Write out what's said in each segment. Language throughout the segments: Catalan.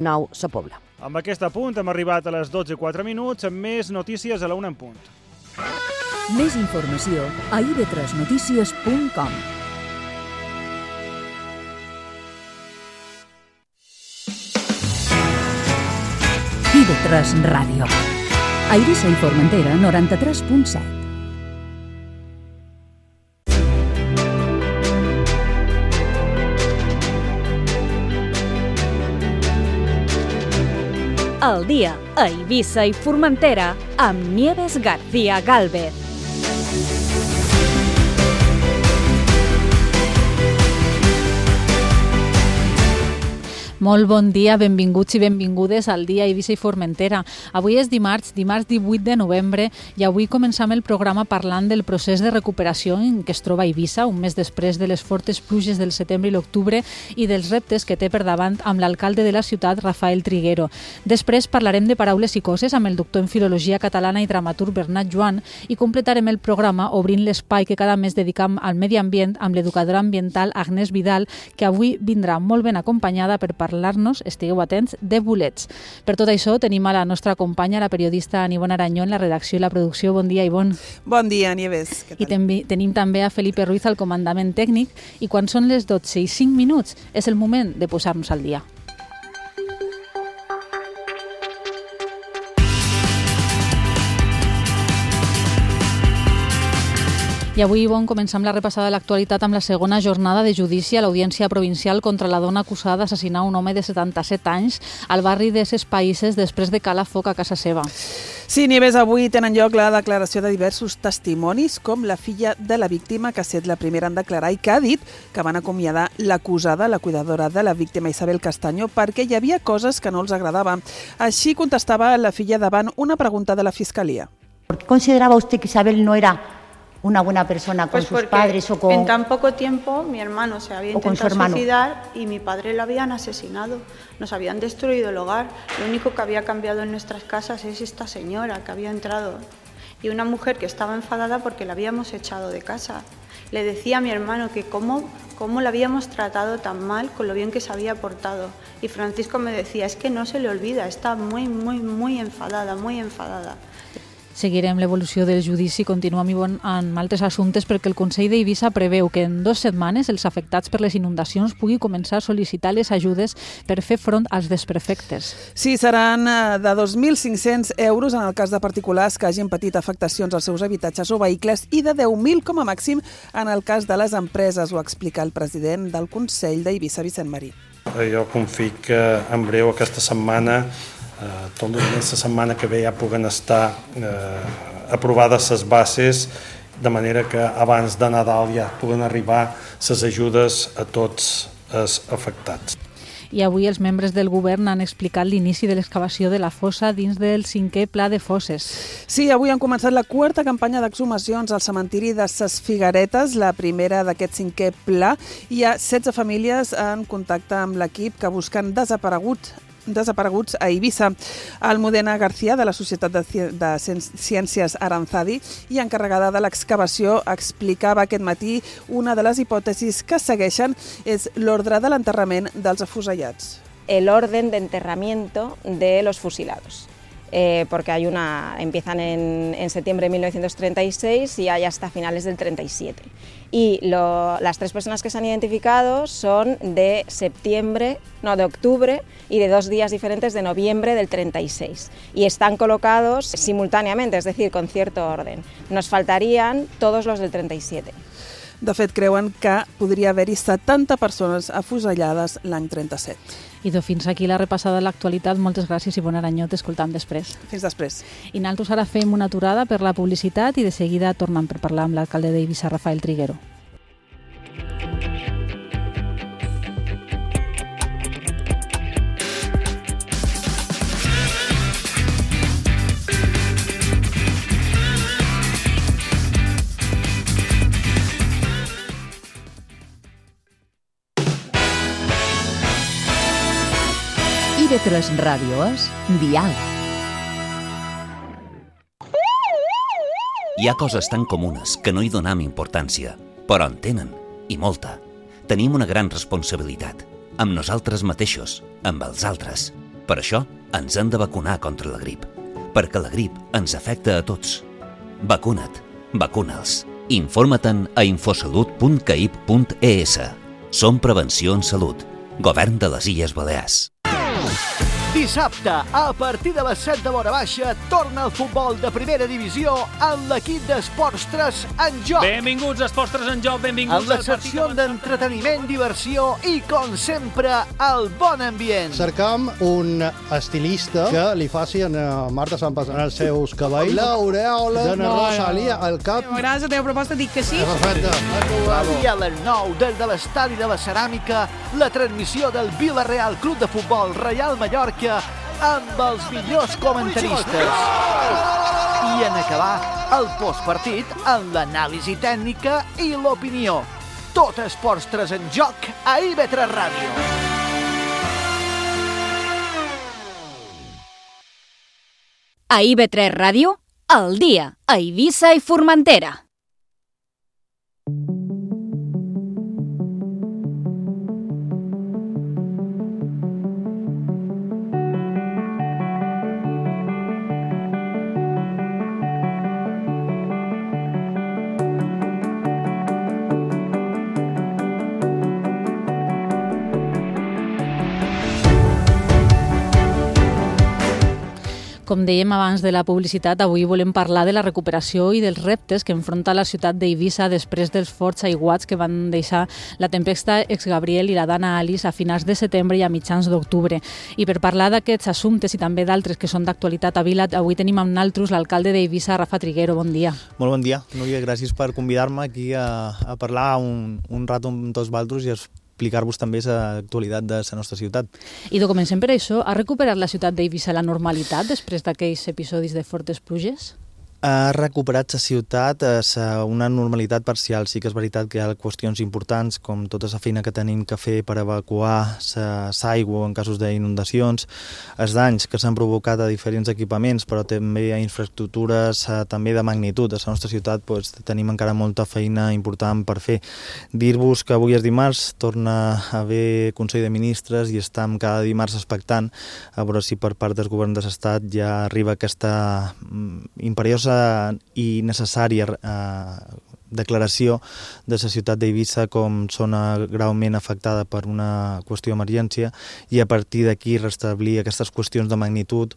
9 Sa Pobla. Amb aquest apunt hem arribat a les 12:04 amb més notícies a la 1 en punt. Més informació a ib3notícies.com. IB3 Ràdio. A Eivissa i Formentera, 93.7. El dia a Eivissa i Formentera amb Nieves García Gálvez. Molt bon dia, benvinguts i benvingudes al dia Eivissa i Formentera. Avui és dimarts 18 de novembre, i avui començam el programa parlant del procés de recuperació en què es troba Eivissa, un mes després de les fortes pluges del setembre i l'octubre i dels reptes que té per davant amb l'alcalde de la ciutat, Rafael Triguero. Després parlarem de paraules i coses amb el doctor en Filologia Catalana i dramaturg Bernat Joan i completarem el programa obrint l'espai que cada mes dedicam al medi ambient amb l'educadora ambiental Agnès Vidal, que avui vindrà molt ben acompanyada per parlar-nos, estigueu atents, de bolets. Per tot això tenim a la nostra companya, la periodista Ivonne Aranyó, en la redacció i la producció. Bon dia, Ivonne. Bon dia, Nieves. I tenim també a Felipe Ruiz al comandament tècnic, i quan són les 12:05 és el moment de posar-nos al dia. I avui, Ivonne, començam la repassada de l'actualitat amb la segona jornada de judici a l'Audiència Provincial contra la dona acusada d'assassinar un home de 77 anys al barri de Ses Païsses després de calar foc a casa seva. Sí, Nieves, avui tenen lloc la declaració de diversos testimonis, com la filla de la víctima, que ha estat la primera en declarar i que ha dit que van acomiadar l'acusada, la cuidadora de la víctima, Isabel Castaño, perquè hi havia coses que no els agradaven. Així contestava la filla davant una pregunta de la Fiscalia. ¿Por qué consideraba usted que Isabel no era una buena persona con sus padres o con... En tan poco tiempo mi hermano se había intentado suicidar y mi padre lo habían asesinado. Nos habían destruido el hogar. Lo único que había cambiado en nuestras casas es esta señora que había entrado. Y una mujer que estaba enfadada porque la habíamos echado de casa. Le decía a mi hermano que cómo la habíamos tratado tan mal con lo bien que se había portado. Y Francisco me decía, es que no se le olvida, está muy enfadada, muy enfadada. Seguirem l'evolució del judici, continuem amb altres assumptes, perquè el Consell d'Eivissa preveu que en 2 setmanes els afectats per les inundacions pugui començar a sol·licitar les ajudes per fer front als desperfectes. Sí, seran de 2.500 euros en el cas de particulars que hagin patit afectacions als seus habitatges o vehicles i de 10.000 com a màxim en el cas de les empreses, ho explica el president del Consell d'Eivissa, Vicent Marí. Jo confio que en breu aquesta setmana, tot la setmana que ve ja puguen estar aprovades les bases, de manera que abans de Nadal ja puguen arribar les ajudes a tots els afectats. I avui els membres del govern han explicat l'inici de l'excavació de la fossa dins del 5è Pla de Fosses. Sí, avui han començat la 4a campanya d'exhumacions al cementiri de Ses Figueretes, la primera d'aquest 5è Pla. Hi ha 16 famílies en contacte amb l'equip que busquen desapareguts a Eivissa. Almudena García, de la Societat de Ciències Aranzadi i encarregada de l'excavació, explicava aquest matí una de les hipòtesis que segueixen és l'ordre de l'enterrament dels afusellats. El orden de enterramiento de los fusilados. Porque empiezan en septiembre de 1936 y hay hasta finales del 37. Y las 3 personas que se han identificado son de octubre y de 2 días diferentes de noviembre del 36. Y están colocados simultáneamente, es decir, con cierto orden. Nos faltarían todos los del 37. De fet, creuen que podria haver-hi 70 persones afusellades l'any 37. Idò, fins aquí la repassada de l'actualitat. Moltes gràcies, Ivonne Aranyó. T'escoltam després. Fins després. I nosaltres ara fem una aturada per la publicitat i de seguida tornem per parlar amb l'alcalde d'Eivissa, Rafael Triguero. IB3 Ràdio és Dial. Hi ha coses tan comunes que no hi donam importància, però en tenen, i molta. Tenim una gran responsabilitat, amb nosaltres mateixos, amb els altres. Per això ens hem de vacunar contra la grip, perquè la grip ens afecta a tots. Vacuna't, vacuna'ls. Informa-te'n a infosalut.caip.es. Som Prevenció en Salut. Govern de les Illes Balears. Dissabte, a partir de les 7 de l'hora baixa, torna el futbol de primera divisió amb l'equip d'Esports 3 en joc. Benvinguts, Esports 3 en joc, benvinguts. En la secció d'entreteniment, diversió i, com sempre, el bon ambient. Cercam un estilista que li faci a Marta Sampas en els seus cabells l'aureola de Rosalía al cap. M'agrada la teva proposta, dic que sí. Perfecte. I a les 9, des de l'estadi de la Ceràmica, la transmissió del Vila-real Club de Futbol Reial Mallorca amb els millors comentaristes. I en acabar, el postpartit amb l'anàlisi tècnica i l'opinió. Tot Esports 3 en joc a IB3 Ràdio. A IB3 Ràdio, al dia, a Eivissa i Formentera. Com dèiem abans de la publicitat, avui volem parlar de la recuperació i dels reptes que enfronta la ciutat d'Eivissa després dels forts aiguats que van deixar la tempesta Ex-Gabriel i la Dana Alice a finals de setembre i a mitjans d'octubre. I per parlar d'aquests assumptes i també d'altres que són d'actualitat a Vila, avui tenim amb naltros l'alcalde d'Eivissa, Rafa Triguero. Bon dia. Molt bon dia, Núria. Gràcies per convidar-me aquí a parlar un rato amb tots vosaltres i explicar-vos també l'actualitat de la nostra ciutat. I comencem per això. Ha recuperat la ciutat d'Eivissa la normalitat després d'aquells episodis de fortes pluges? Ha recuperat la ciutat a una normalitat parcial. Sí que és veritat que hi ha qüestions importants, com tota la feina que tenim que fer per evacuar l'aigua en casos d'inundacions, els danys que s'han provocat a diferents equipaments, però també a infraestructures també de magnitud. A la nostra ciutat tenim encara molta feina important per fer. Dir-vos que avui és dimarts, torna a haver Consell de Ministres i estem cada dimarts expectant a veure si per part del govern de l'Estat ja arriba aquesta imperiosa i necessària declaració de la ciutat d'Eivissa com zona greument afectada per una qüestió d'emergència i a partir d'aquí restablir aquestes qüestions de magnitud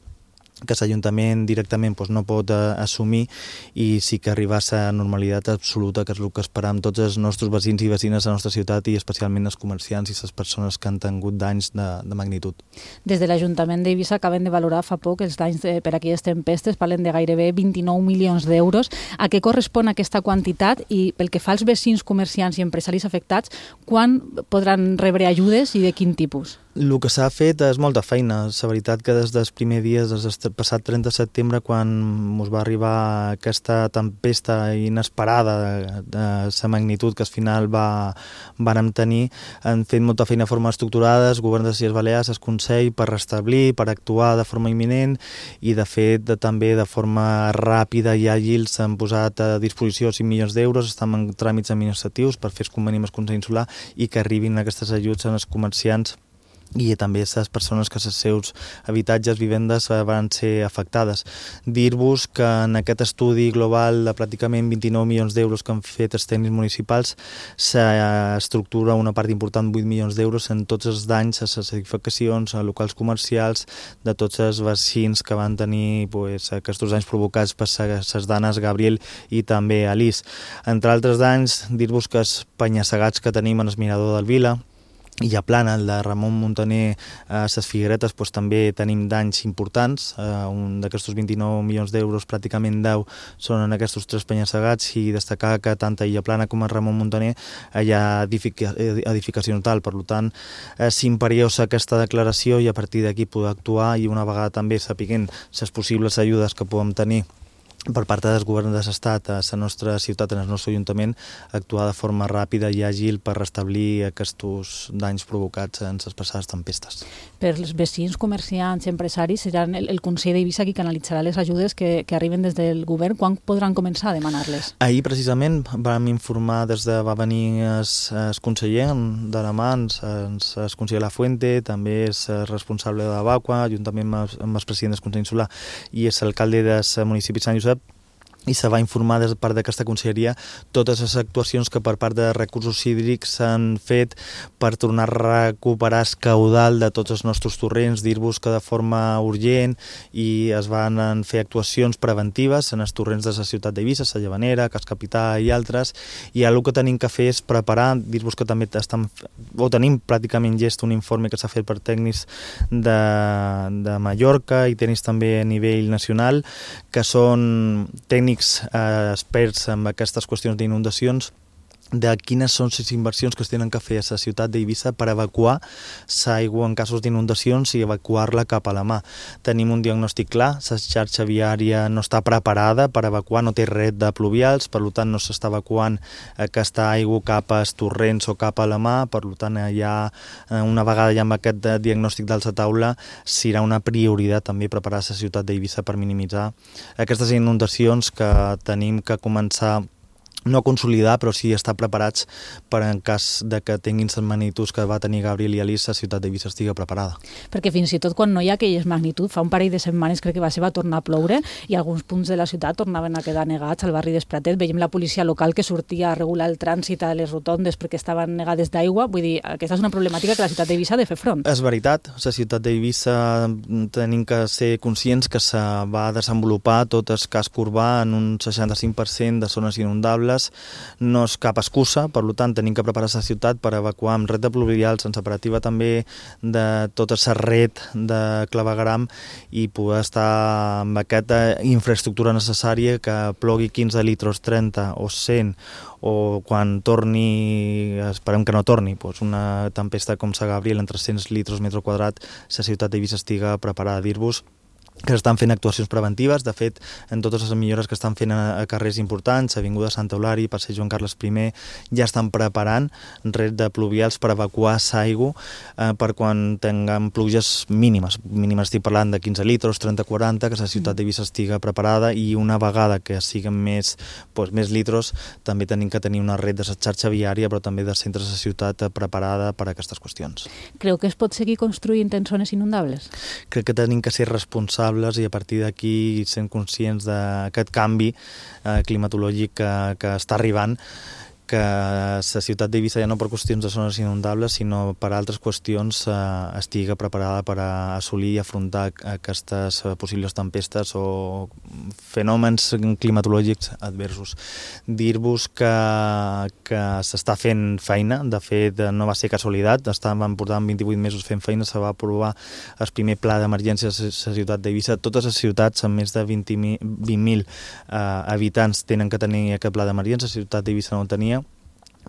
que l'Ajuntament directament no pot assumir i sí que arribar a la normalitat absoluta, que és el que esperam tots els nostres veïns i veïnes de la nostra ciutat i especialment els comerciants i les persones que han tingut danys de magnitud. Des de l'Ajuntament d'Eivissa acaben de valorar fa poc els danys per aquelles tempestes, parlen de gairebé 29 milions d'euros. A què correspon aquesta quantitat i pel que fa als veïns, comerciants i empresaris afectats, quan podran rebre ajudes i de quin tipus? El que s'ha fet és molta feina. La veritat que des dels primers dies, des del passat 30 de setembre, quan ens va arribar aquesta tempesta inesperada de la magnitud que al final vàrem tenir, han fet molta feina de forma estructurada, el govern de les Illes Balears, el Consell, per restablir, per actuar de forma imminent i, de fet, també de forma ràpida i àgil s'han posat a disposició 5 milions d'euros, estan en tràmits administratius per fer el conveni amb el Consell Insular i que arribin aquestes ajuts als comerciants i també a les persones que els seus habitatges, vivendes van ser afectades. Dir-vos que en aquest estudi global de pràcticament 29 milions d'euros que han fet els tècnics municipals s'estructura una part important, 8 milions d'euros, en tots els danys a les edificacions, a locals comercials, de tots els veïns que van tenir aquests danys provocats per les danes Gabriel i també Alice. Entre altres danys, dir-vos que els penya-segats que tenim en el mirador del Vila i a Plana, el de Ramon Muntaner, a les Figueretes, també tenim danys importants. Un d'aquests 29 milions d'euros, pràcticament 10 són en aquests 3 penya-segats, i destacar que tant a Illa Plana com a Ramon Muntaner hi ha edificació tal. Per tant, és imperiosa aquesta declaració i a partir d'aquí poder actuar i una vegada també sapiguent les possibles ajudes que podem tenir per part del govern de l'Estat a la nostra ciutat, en el nostre Ajuntament, actuar de forma ràpida i àgil per restablir aquests danys provocats en les passades tempestes. per els vecins, comerciants, empresaris, seran el Consell d'Eivissa qui canalitzarà les ajudes que arriben des del govern. Quan podran començar a demanar-les? Ahir, precisament, vam informar va venir el conseller de la mà, el conseller La Fuente, també és responsable de Bacua, juntament amb el president del Consell Insular i és l'alcalde del municipi de Sant Josep, i se va informar des de part d'aquesta conselleria totes les actuacions que per part de recursos hídrics s'han fet per tornar a recuperar el caudal de tots els nostres torrents, dir-vos que de forma urgent, i es van fer actuacions preventives en els torrents de la ciutat d'Eivissa, la Llavanera, Cas Capità i altres, i el que tenim que fer és preparar, dir-vos que també tenim pràcticament llest un informe que s'ha fet per tècnics de Mallorca i tècnics també a nivell nacional, que són tècnics experts en aquestes qüestions d'inundacions, de quines són les inversions que es tenen que fer a la ciutat d'Eivissa per evacuar l'aigua en casos d'inundacions i evacuar-la cap a la mà. Tenim un diagnòstic clar, la xarxa viària no està preparada per evacuar, no té red de pluvials, per tant no s'està evacuant aquesta aigua cap als torrents o cap a la mà, per tant una vegada ja amb aquest diagnòstic d'alça taula serà una prioritat també preparar la ciutat d'Eivissa per minimitzar aquestes inundacions que tenim que començar no a consolidar, però sí estar preparats per en cas de que tinguin les magnituds que va tenir Gabriel i Alice, la ciutat d'Eivissa estigui preparada. Perquè fins i tot quan no hi ha aquelles magnituds, fa un parell de setmanes crec que va tornar a ploure i alguns punts de la ciutat tornaven a quedar negats. Al barri d'Espratet veiem la policia local que sortia a regular el trànsit a les rotondes perquè estaven negades d'aigua. Vull dir, aquesta és una problemàtica que la ciutat d'Eivissa ha de fer front. És veritat, la ciutat d'Eivissa tenim que ser conscients que se va desenvolupar tot el casc urbà en un 65% de zones inundables. No és cap excusa, per tant tenim que preparar la ciutat per evacuar amb red de pluvials, en separativa també de tota la red de clavegram i poder estar amb aquesta infraestructura necessària, que plogui 15 litres, 30 o 100 o quan torni, esperem que no torni, una tempesta com la Gabriel en 300 litres metre quadrat, la ciutat d'Eivissa estiga preparada. A dir-vos que estan fent actuacions preventives. De fet, en totes les millores que estan fent a carrers importants, Avinguda Santa Eulària, Passeig Joan Carles I, ja estan preparant red de pluvials per evacuar l'aigua per quan tinguem pluges mínimes. Mínimes estic parlant de 15 litres, 30-40, que la ciutat d'Eivissa estiga preparada, i una vegada que siguin més litres, també tenim que tenir una red de la xarxa viària, però també de centres de la ciutat preparada per a aquestes qüestions. Creu que es pot seguir construint en zones inundables? Crec que tenim que ser responsables i a partir d'aquí sent conscients d'aquest canvi climatològic que està arribant, que la ciutat d'Eivissa ja no per qüestions de zones inundables, sinó per altres qüestions estigui preparada per assolir i afrontar aquestes possibles tempestes o fenòmens climatològics adversos. Dir-vos que s'està fent feina, de fet no va ser casualitat, estàvem portant 28 mesos fent feina, se va aprovar el primer pla d'emergència a la ciutat d'Eivissa. Totes les ciutats amb més de 20.000 habitants tenen que tenir aquest pla d'emergència, la ciutat d'Eivissa no ho tenia,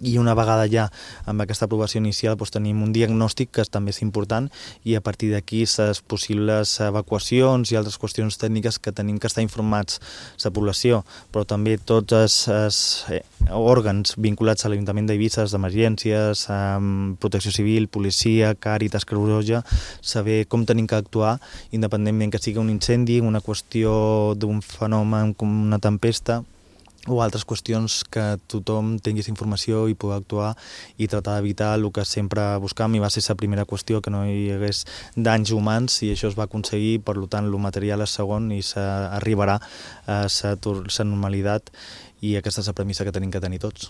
i una vegada ja amb aquesta aprovació inicial tenim un diagnòstic que també és important, i a partir d'aquí les possibles evacuacions i altres qüestions tècniques que tenim que estar informats la població, però també tots els òrgans vinculats a l'Ajuntament d'Eivissa, d'emergències, protecció civil, policia, Càritas, Creu Roja, saber com tenim que actuar independentment que sigui un incendi, una qüestió d'un fenomen com una tempesta o altres qüestions, que tothom tingués informació i pugui actuar i tratar d'evitar el que sempre buscam, i va ser la primera qüestió, que no hi hagués danys humans, i això es va aconseguir. Per tant, el material és segon i s'arribarà a la normalitat, i aquesta és la premissa que tenim que tenir tots.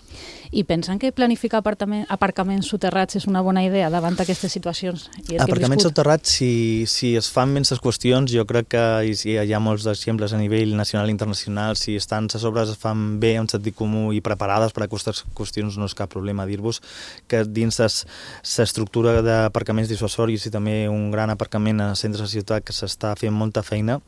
I pensen que planificar aparcaments soterrats és una bona idea davant d'aquestes situacions? Aparcaments soterrats, si es fan ben les qüestions, jo crec que hi ha molts exemples a nivell nacional i internacional. Si estan les obres es fan bé, amb sentit comú i preparades per a aquestes qüestions, no és cap problema. Dir-vos que dins l'estructura d'aparcaments dissuasoris i també un gran aparcament a centres de ciutat que s'està fent molta feina,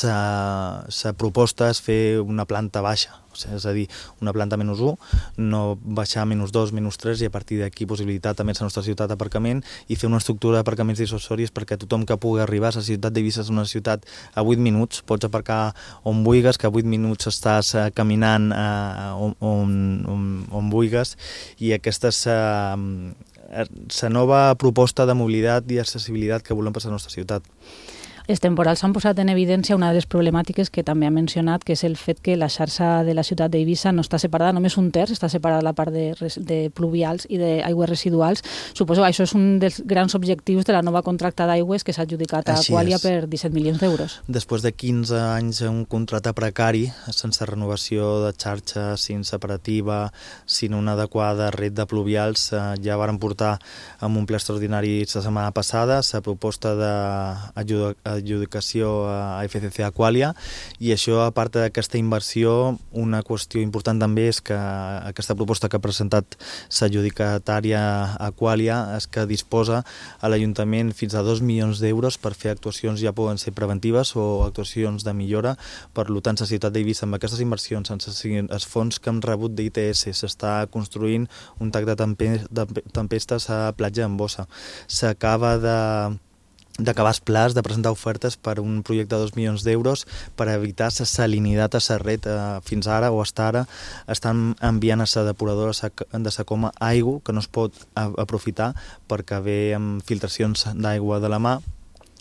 la proposta és fer una planta baixa, és a dir, una planta -1, no baixar a -2, -3, i a partir d'aquí possibilitar també a la nostra ciutat d'aparcament i fer una estructura d'aparcaments dissuasoris perquè tothom que pugui arribar. La ciutat d'Eivissa és una ciutat a 8 minuts, pots aparcar on vulguis, que a 8 minuts estàs caminant on vulguis, i aquestes la nova proposta de mobilitat i accessibilitat que volem per a la nostra ciutat. Els temporals han posat en evidència una de les problemàtiques que també ha mencionat, que és el fet que la xarxa de la ciutat d'Eivissa no està separada, només un terç està separada la part de pluvials i d'aigües residuals. Suposo que això és un dels grans objectius de la nova contracta d'aigües que s'ha adjudicat a Aqualia per 17 milions d'euros. Després de 15 anys un contracte precari, sense renovació de xarxa, sense separativa, sin una adequada red de pluvials, ja varen portar amb un ple extraordinari la setmana passada la proposta d'adjudicació a FCC Aqualia, i això, a part d'aquesta inversió, una qüestió important també és que aquesta proposta que ha presentat l'adjudicatària Aqualia és que disposa a l'Ajuntament fins a 2 milions d'euros per fer actuacions, ja poden ser preventives o actuacions de millora. Per tant, la ciutat d'Eivissa, amb aquestes inversions, sense els fons que hem rebut d'ITS, s'està construint un tac de tempestes a Platja d'en Bossa. S'acaba d'acabar els plans de presentar ofertes per un projecte de 2 milions d'euros per evitar la salinitat a la red. Fins ara o hasta ara estan enviant a la depuradora de la Coma aigua que no es pot aprofitar perquè ve amb filtracions d'aigua de la mà.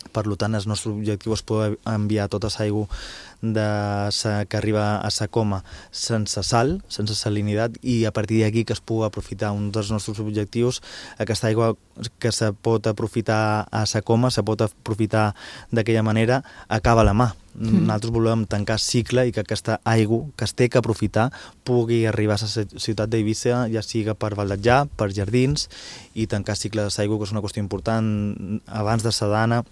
Per tant, el nostre objectiu és poder enviar tota l'aigua que arriba a la Coma sense sal, sense salinitat, i a partir d'aquí que es pugui aprofitar. Un dels nostres objectius, aquesta aigua que se pot aprofitar a la Coma, se pot aprofitar d'aquella manera, acaba a la mà. Nosaltres volem tancar cicle i que aquesta aigua que es té que aprofitar pugui arribar a la ciutat d'Eivissa, ja siga per baldejar, per jardins, i tancar cicle de l'aigua, que és una qüestió important. Abans de Sedana,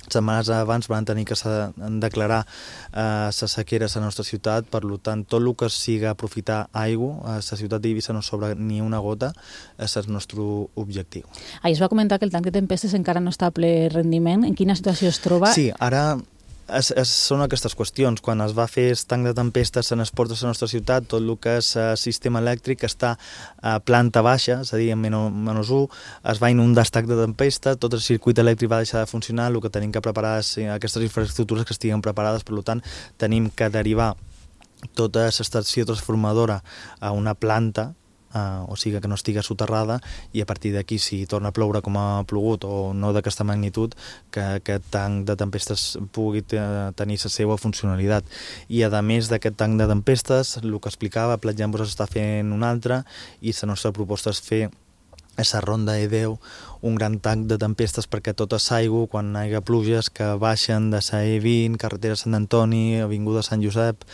setmanes abans van tenir que declarar la sequera a la nostra ciutat. Per tant, tot el que siga aprofitar aigua a la ciutat d'Eivissa no sobra ni una gota, és el nostre objectiu. Ahir es va comentar que el tanc de tempestes encara no està a ple rendiment. En quina situació es troba? Sí, ara són aquestes qüestions. Quan es va fer el tanc de tempestes en els ports de la nostra ciutat, tot el que és el sistema elèctric està a planta baixa, és a dir, en -1, es va inundar el tanc de tempesta, tot el circuit elèctric va deixar de funcionar. El que tenim que preparar és aquestes infraestructures que estiguen preparades. Per tant, tenim que derivar tota l'estació transformadora a una planta, o sigui que no estigui soterrada, i a partir d'aquí, si torna a ploure com ha plogut o no d'aquesta magnitud, que aquest tanc de tempestes pugui tenir la seva funcionalitat. I a més d'aquest tanc de tempestes, el que explicava, a Platja d'en Bossa s'està fent un altre, i la nostra proposta és fer a la ronda E10 un gran tanc de tempestes perquè tota l'aigua, quan hi hagi pluges, que baixen de la E20, carretera Sant Antoni, avinguda Sant Josep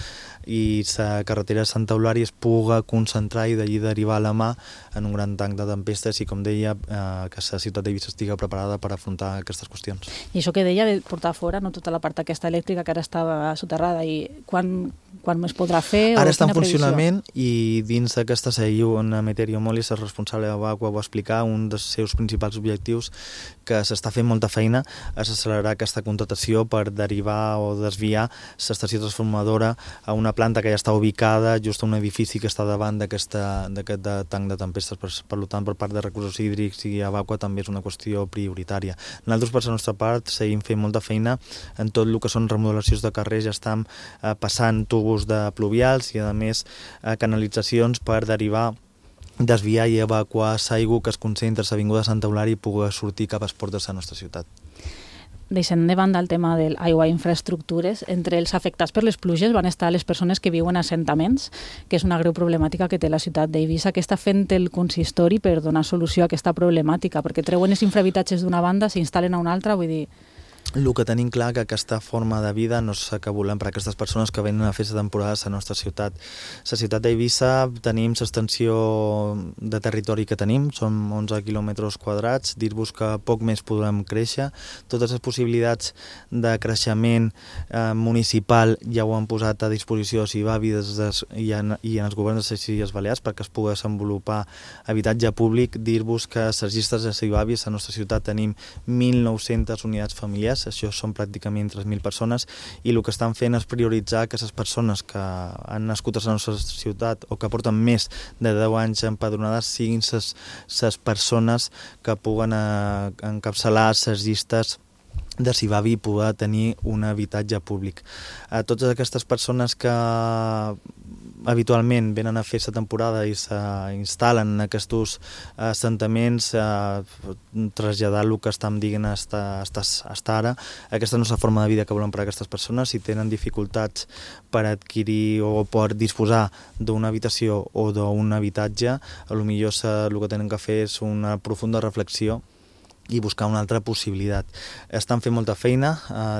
i la carretera de Santa Eulària, es puga concentrar i d'allí derivar a la mà en un gran tanc de tempestes, i, com deia, que la ciutat d'Eivissa estigui preparada per afrontar aquestes qüestions. I això que deia de portar fora, no, tota la part aquesta elèctrica que ara estava soterrada, i quan es podrà fer? Ara està en funcionament, i dins d'aquesta SEIU, on Emeterio Molis, el responsable de Aqua, va explicar un dels seus principals objectius, que s'està fent molta feina, és accelerar aquesta contractació per derivar o desviar l'estació transformadora a una planta que ja està ubicada just a un edifici que està davant d'aquest tanc de tempestes. Per tant, per part de recursos hídrics i Aqua també és una qüestió prioritària. Nosaltres, per la nostra part, seguim fent molta feina en tot el que són remodelacions de carrers. Ja estem passant tubos de pluvials i, a més, canalitzacions per derivar, desviar i evacuar l'aigua que es concentra a l'Avinguda Santa Eulària i pugui sortir cap als ports de la nostra ciutat. Deixant de banda el tema de l'aigua i infraestructures, entre els afectats per les pluges van estar les persones que viuen a assentaments, que és una greu problemàtica que té la ciutat d'Eivissa. Què està fent el consistori per donar solució a aquesta problemàtica? Perquè treuen els infrahabitatges d'una banda, s'instal·len a una altra, vull dir... El que tenim clar que aquesta forma de vida no és que volem per a aquestes persones que venen a fer la temporada a la nostra ciutat. La ciutat d'Eivissa tenim l'extensió de territori que tenim, són 11 quilòmetres quadrats, dir-vos que poc més podrem créixer. Totes les possibilitats de creixement municipal ja ho han posat a disposició CIVAVI i en els governs de les Illes Balears perquè es pugui desenvolupar habitatge públic. Dir-vos que a les llistes de CIVAVI a la nostra ciutat tenim 1.900 unitats familiars, això són pràcticament 3.000 persones, i el que estan fent és prioritzar que les persones que han nascut a la nostra ciutat o que porten més de 10 anys empadronades siguin les persones que puguen encapçalar les llistes de CIVAVI i poder tenir un habitatge públic. A totes aquestes persones que habitualment venen a fer la temporada i s'instal·len en aquests assentaments, traslladar el que estem dient hasta ara. Aquesta no és la forma de vida que volen per a aquestes persones. Si tenen dificultats per adquirir o per disposar d'una habitació o d'un habitatge, potser el que tenen que fer és una profunda reflexió i buscar una altra possibilitat. Estan fent molta feina.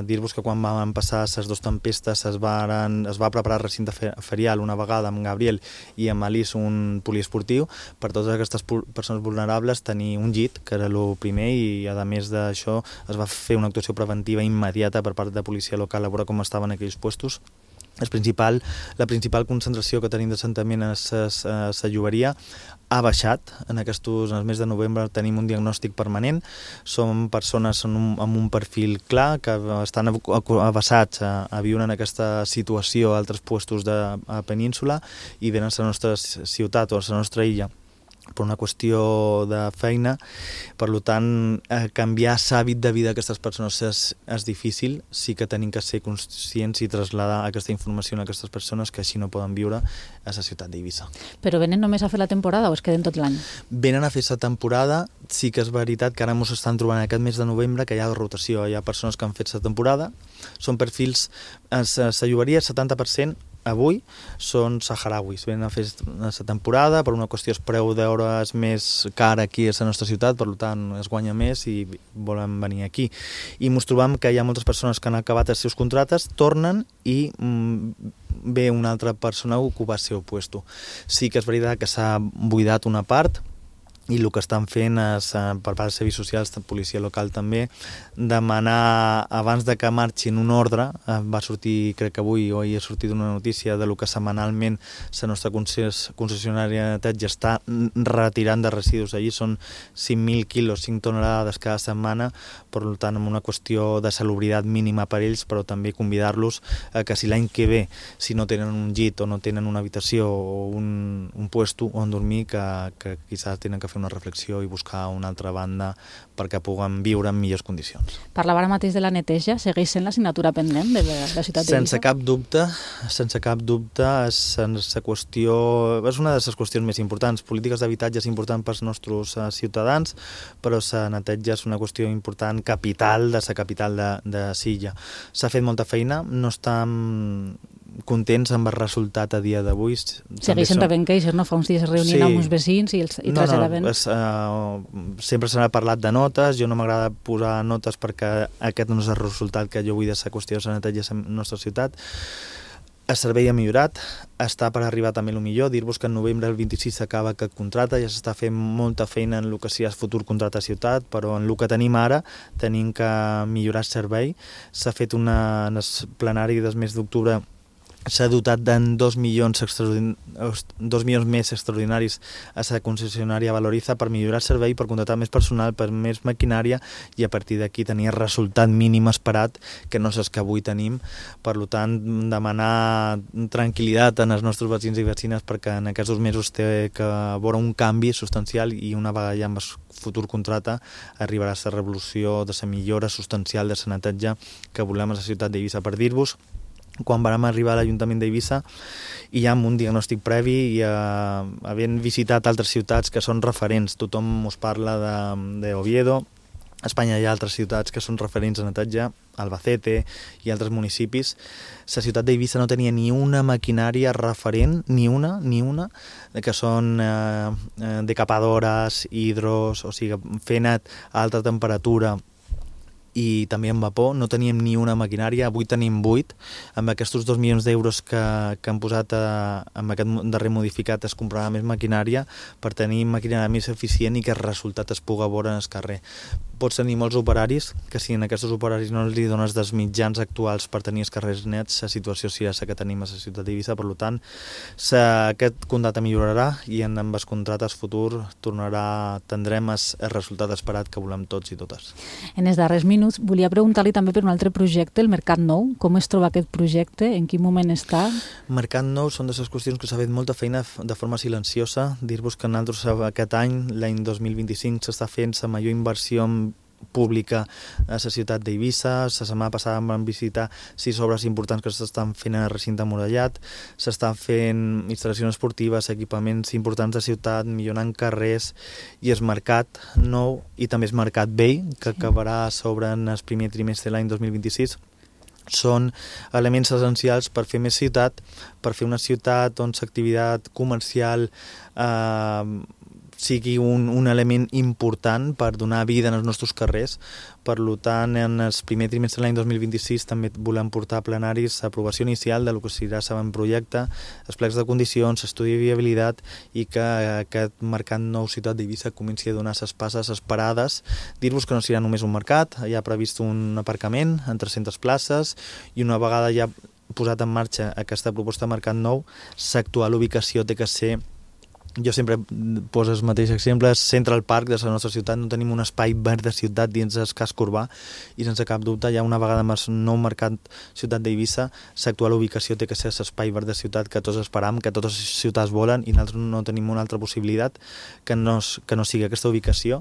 Dir-vos que quan van passar les dues tempestes es va preparar el recinte ferial una vegada amb Gabriel i amb Alice un poliesportiu per totes aquestes persones vulnerables tenir un llit, que era el primer, i a més d'això es va fer una actuació preventiva immediata per part de policia local a veure com estaven aquells puestos. La principal concentració que tenim d'assentament és la llogaria. Ha baixat. En el mes de novembre tenim un diagnòstic permanent. Som persones amb un perfil clar que estan avasats a viure en aquesta situació a altres puestos de península i venen a la nostra ciutat o a la nostra illa per una qüestió de feina. Per tant, canviar l'hàbit de vida d'aquestes persones és difícil. Sí que tenim que ser conscients i traslladar aquesta informació a aquestes persones que així no poden viure a la ciutat d'Eivissa. Però venen només a fer la temporada o es queden tot l'any? Venen a fer la temporada. Sí que és veritat que ara ens estan trobant aquest mes de novembre que hi ha rotació. Hi ha persones que han fet la temporada. Són perfils, la llogaria, 70% avui són saharauis, venen a fer la temporada, per una qüestió el preu d'hora és més car aquí a la nostra ciutat, per tant es guanya més i volen venir aquí. I ens trobam que hi ha moltes persones que han acabat els seus contractes, tornen i ve una altra persona a ocupar el seu puesto. Sí que és veritat que s'ha buidat una part, i el que estan fent és, per part dels serveis socials, de policia local també, demanar, abans de que marxin un ordre, va sortir, crec que avui o ahir ha sortit una notícia de lo que setmanalment la nostra concessionària de neteja està retirant de residus. Allí són 5.000 quilos, 5 tonelades cada setmana, per tant, amb una qüestió de salubritat mínima per ells, però també convidar-los a que si l'any que ve, si no tenen un llit o no tenen una habitació o un puesto on dormir, que quizás tenen que fer una reflexió i buscar una altra banda perquè puguen viure en millors condicions. Parlava ara mateix de la neteja, segueix sent l'assignatura pendent de la ciutat d'Eivissa? Sense cap dubte, és una de les qüestions més importants. Polítiques d'habitatge és important pels nostres ciutadans, però la neteja és una qüestió important, capital de la capital de Silla. S'ha fet molta feina, no estem contents amb el resultat a dia d'avui. Segueixen rebent queixes, no? Fa uns dies es reunien amb uns vecins i traslladaven... Sempre se n'ha parlat de notes, jo no m'agrada posar notes perquè aquest no és el resultat que jo vull de la qüestió de la neteja a la nostra ciutat. El servei ha millorat, està per arribar també el millor. Dir-vos que en novembre del 26 s'acaba aquest contracte, ja s'està fent molta feina en el que sigui el futur contracte a ciutat, però en el que tenim ara tenim que millorar el servei. S'ha fet en el plenari del mes d'octubre, s'ha dotat de 2 milions més extraordinaris a la concessionària Valoriza per millorar el servei, per contractar més personal, per més maquinària i a partir d'aquí tenir el resultat mínim esperat, que no és el que avui tenim. Per tant, demanar tranquil·litat als nostres veïns i vecines perquè en aquests 2 mesos té que veure un canvi substancial i una vegada ja amb el futur contracte arribarà la revolució de la millora substancial de la neteja que volem a la ciutat d'Eivissa. Per dir-vos, quan vam arribar a l'Ajuntament d'Eivissa i ja amb un diagnòstic previ i havent visitat altres ciutats que són referents, tothom us parla d'Oviedo, a Espanya hi ha altres ciutats que són referents a neteja, Albacete i altres municipis. La ciutat d'Eivissa no tenia ni una maquinària referent, ni una, que són decapadores, hidros, o sigui, fent a alta temperatura i també amb vapor, no teníem ni una maquinària, avui tenim 8, amb aquests 2 milions d'euros que han posat amb aquest darrer modificat es comprarà més maquinària per tenir maquinària més eficient i que el resultat es pugui veure en el carrer. Pots tenir molts operaris, que si en aquests operaris no li dones dels mitjans actuals per tenir els carrers nets, la situació serà la que tenim a la ciutat d'Eivissa. Per tant, aquest contracte millorarà i en els contractes futurs tindrem el resultat esperat que volem tots i totes. En els darrers minuts volia preguntar-li també per un altre projecte, el Mercat Nou. Com es troba aquest projecte? En quin moment està? Mercat Nou són de les qüestions que s'ha fet molta feina de forma silenciosa. Dir-vos que nosaltres aquest any, l'any 2025, s'està fent la major inversió en pública a la ciutat d'Eivissa. La setmana passada vam visitar 6 obres importants que s'estan fent en el recinte murallat, s'estan fent instal·lacions esportives, equipaments importants de ciutat, millorant carrers, i el mercat nou i també el mercat vell, que acabarà a sobre en el primer trimestre de l'any 2026, són elements essencials per fer més ciutat, per fer una ciutat on l'activitat comercial sigui un element important per donar vida en els nostres carrers. Per tant, en el primer trimestre de l'any 2026 també volem portar a plenaris l'aprovació inicial del que serà el projecte, els plecs de condicions, estudi de viabilitat, i que aquest mercat nou ciutat d'Eivissa comenci a donar les passes esperades. Dir-vos que no serà només un mercat, hi ha previst un aparcament en 300 places, i una vegada ja posat en marxa aquesta proposta de mercat nou, l'actual ubicació té que ser, jo sempre poso els mateixos exemples, Central Park de la nostra ciutat. No tenim un espai verd de ciutat dins el casc urbà, i sense cap dubte, ja una vegada amb el nou mercat ciutat d'Eivissa, l'actual ubicació té que ser l'espai verd de ciutat que tots esperam, que totes les ciutats volen, i nosaltres no tenim una altra possibilitat que no sigui aquesta ubicació.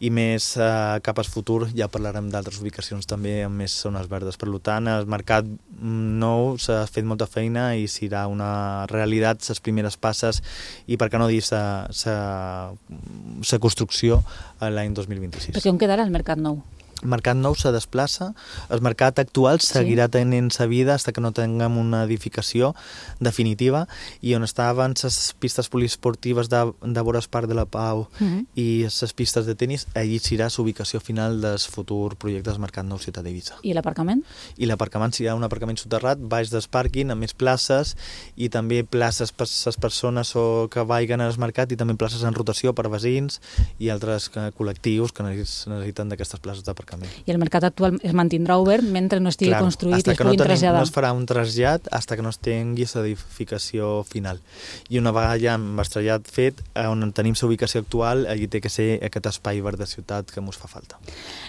I més cap al futur ja parlarem d'altres ubicacions també amb més zones verdes. Per tant, el mercat nou s'ha fet molta feina i serà una realitat les primeres passes, i per què no dir la construcció l'any 2026. Perquè on quedarà el mercat nou? El mercat nou se desplaça, el mercat actual seguirà tenint sa vida fins que no tinguem una edificació definitiva, i on estaven les pistes poliesportives de vora el Parc de la Pau i les pistes de tenis, allí serà l'ubicació final del futur projecte del mercat nou ciutat d'Eivissa. I l'aparcament? I l'aparcament serà un aparcament soterrat, baix del pàrquing, amb més places, i també places per les persones que vagin al mercat, i també places en rotació per veïns i altres col·lectius que necessiten d'aquestes places d'aparcament. I el mercat actual es mantindrà obert mentre no estigui construït i es puguin traslladar. No es farà un trasllat fins que no es tingui l'edificació final. I una vegada ja amb el trasllat fet, on tenim l'ubicació actual, allí té que ser aquest espai verd de ciutat que ens fa falta.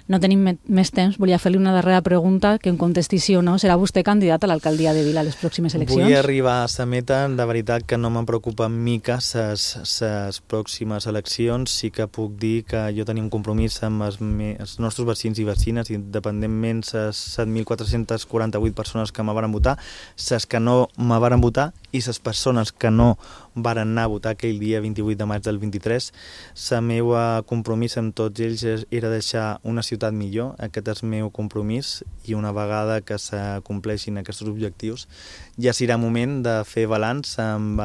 No tenim més temps, volia fer-li una darrera pregunta, que em contesti sí o no. Serà vostè candidat a l'alcaldia de Vila a les pròximes eleccions? Vull arribar a la meta, de veritat que no me'n preocupa mica les pròximes eleccions. Sí que puc dir que jo tenia un compromís amb els nostres vecins i vecines, independentment les 7.448 persones que me varen votar, les que no me varen votar i les persones que no varen anar a votar aquell dia 28 de maig del 23. El meu compromís amb tots ells era deixar una ciutat millor. Aquest és el meu compromís, i una vegada que s'acompleixin aquests objectius ja serà moment de fer balanç amb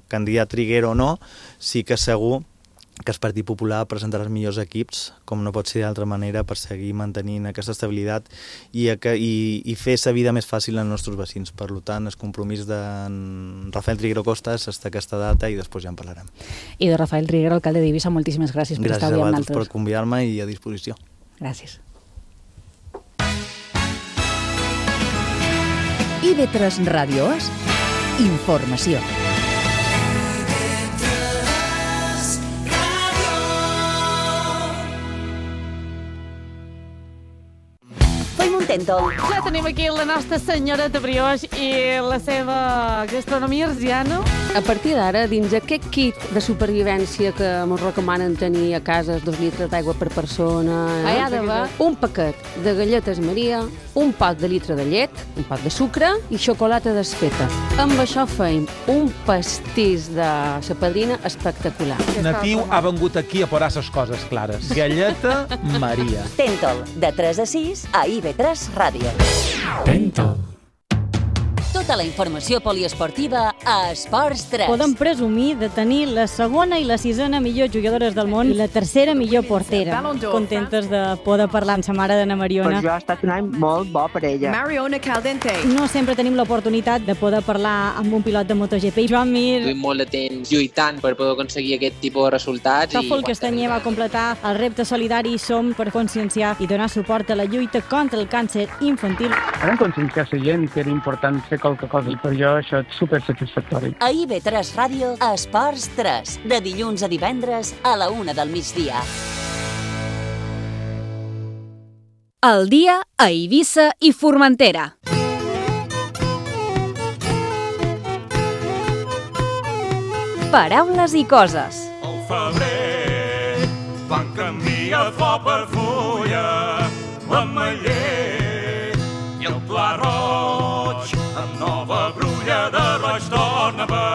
candidat triguer o no. Sí que segur que el Partit Popular presentarà els millors equips, com no pot ser d'altra manera, per seguir mantenint aquesta estabilitat i fer la vida més fàcil als nostres vecins. Per tant, el compromís de Rafael Triguero Costa és fins aquesta data, i després ja en parlarem. I de Rafael Triguero, alcalde d'Eivissa, moltíssimes gràcies per estar avui amb nosaltres. Gràcies a vosaltres per convidar-me i a disposició. Gràcies. IB3 Ràdio és informació. Tentol. Ja tenim aquí la nostra senyora de brioix i la seva gastronomia arsiana. A partir d'ara, dins aquest kit de supervivència que ens recomanen tenir a casa, 2 litres d'aigua per persona, hi ha d'haver un paquet de galletes Maria, un pot de litre de llet, un pot de sucre i xocolata desfeta. Amb això feim un pastís de sa padrina espectacular. Natiu ha vengut aquí a posar les coses clares. Galleta Maria. Tentol, de 3 a 6 a IB3 Ràdio. Tentol. Tota la informació poliesportiva a Esports 3. Podem presumir de tenir la segona i la sisena millors jugadores del món i la tercera millor portera. Contentes de poder parlar amb sa mare d'Anna Mariona. Per jo ha estat un any molt bo per ella. Mariona Caldente. No sempre tenim l'oportunitat de poder parlar amb un pilot de MotoGP. Joan Mir. Duim molt de temps lluitant per poder aconseguir aquest tipus de resultats. Tòfol Castanyer va completar el repte solidari Som per conscienciar i donar suport a la lluita contra el càncer infantil. Vam conscienciar la gent que era important fer qualque cosa, i per jo això és supersatisfactori. A IB3 Ràdio, Esports 3, de dilluns a divendres a la 1 del migdia. El dia a Eivissa i Formentera. Paraules i coses. Al febrer van canviar flor per fulla el pla roig, amb nova brulla de roig torna a ver.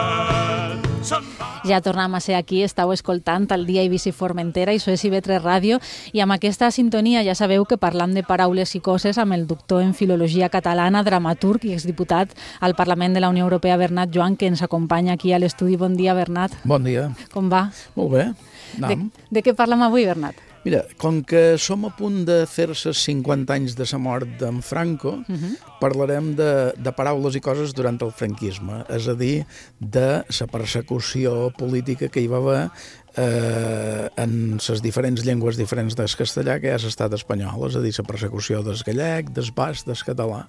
Ja tornem a ser aquí, estàu escoltant el Dia Eivissa i Formentera, i això és IB3 Ràdio, i amb aquesta sintonia ja sabeu que parlam de paraules i coses amb el doctor en Filologia Catalana, dramaturg i exdiputat al Parlament de la Unió Europea, Bernat Joan, que ens acompanya aquí a l'estudi. Bon dia, Bernat. Bon dia. Com va? Molt bé. De què parlem avui, Bernat? Mira, com que som a punt de fer-se 50 anys de la mort d'en Franco, parlarem de paraules i coses durant el franquisme, és a dir, de la persecució política que hi va haver en les diferents llengües diferents del castellà que és l'estat espanyol, és a dir, la persecució del gallec, del basc, del català,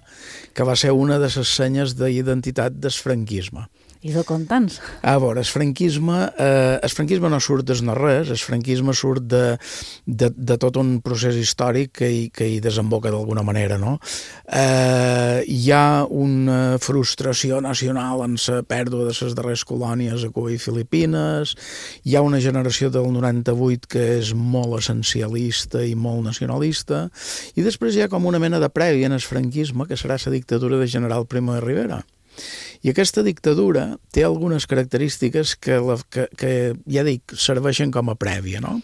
que va ser una de les senyes d'identitat del franquisme. I de contants. A veure, el franquisme no surt des no res, el franquisme surt de tot un procés històric que hi desemboca d'alguna manera, no? Hi ha una frustració nacional en la pèrdua de les darreres colònies a Cuba i Filipines, hi ha una generació del 98 que és molt essencialista i molt nacionalista, i després hi ha com una mena de prèvia en el franquisme, que serà la dictadura de General Primo de Rivera. I aquesta dictadura té algunes característiques que ja dic, serveixen com a prèvia, no?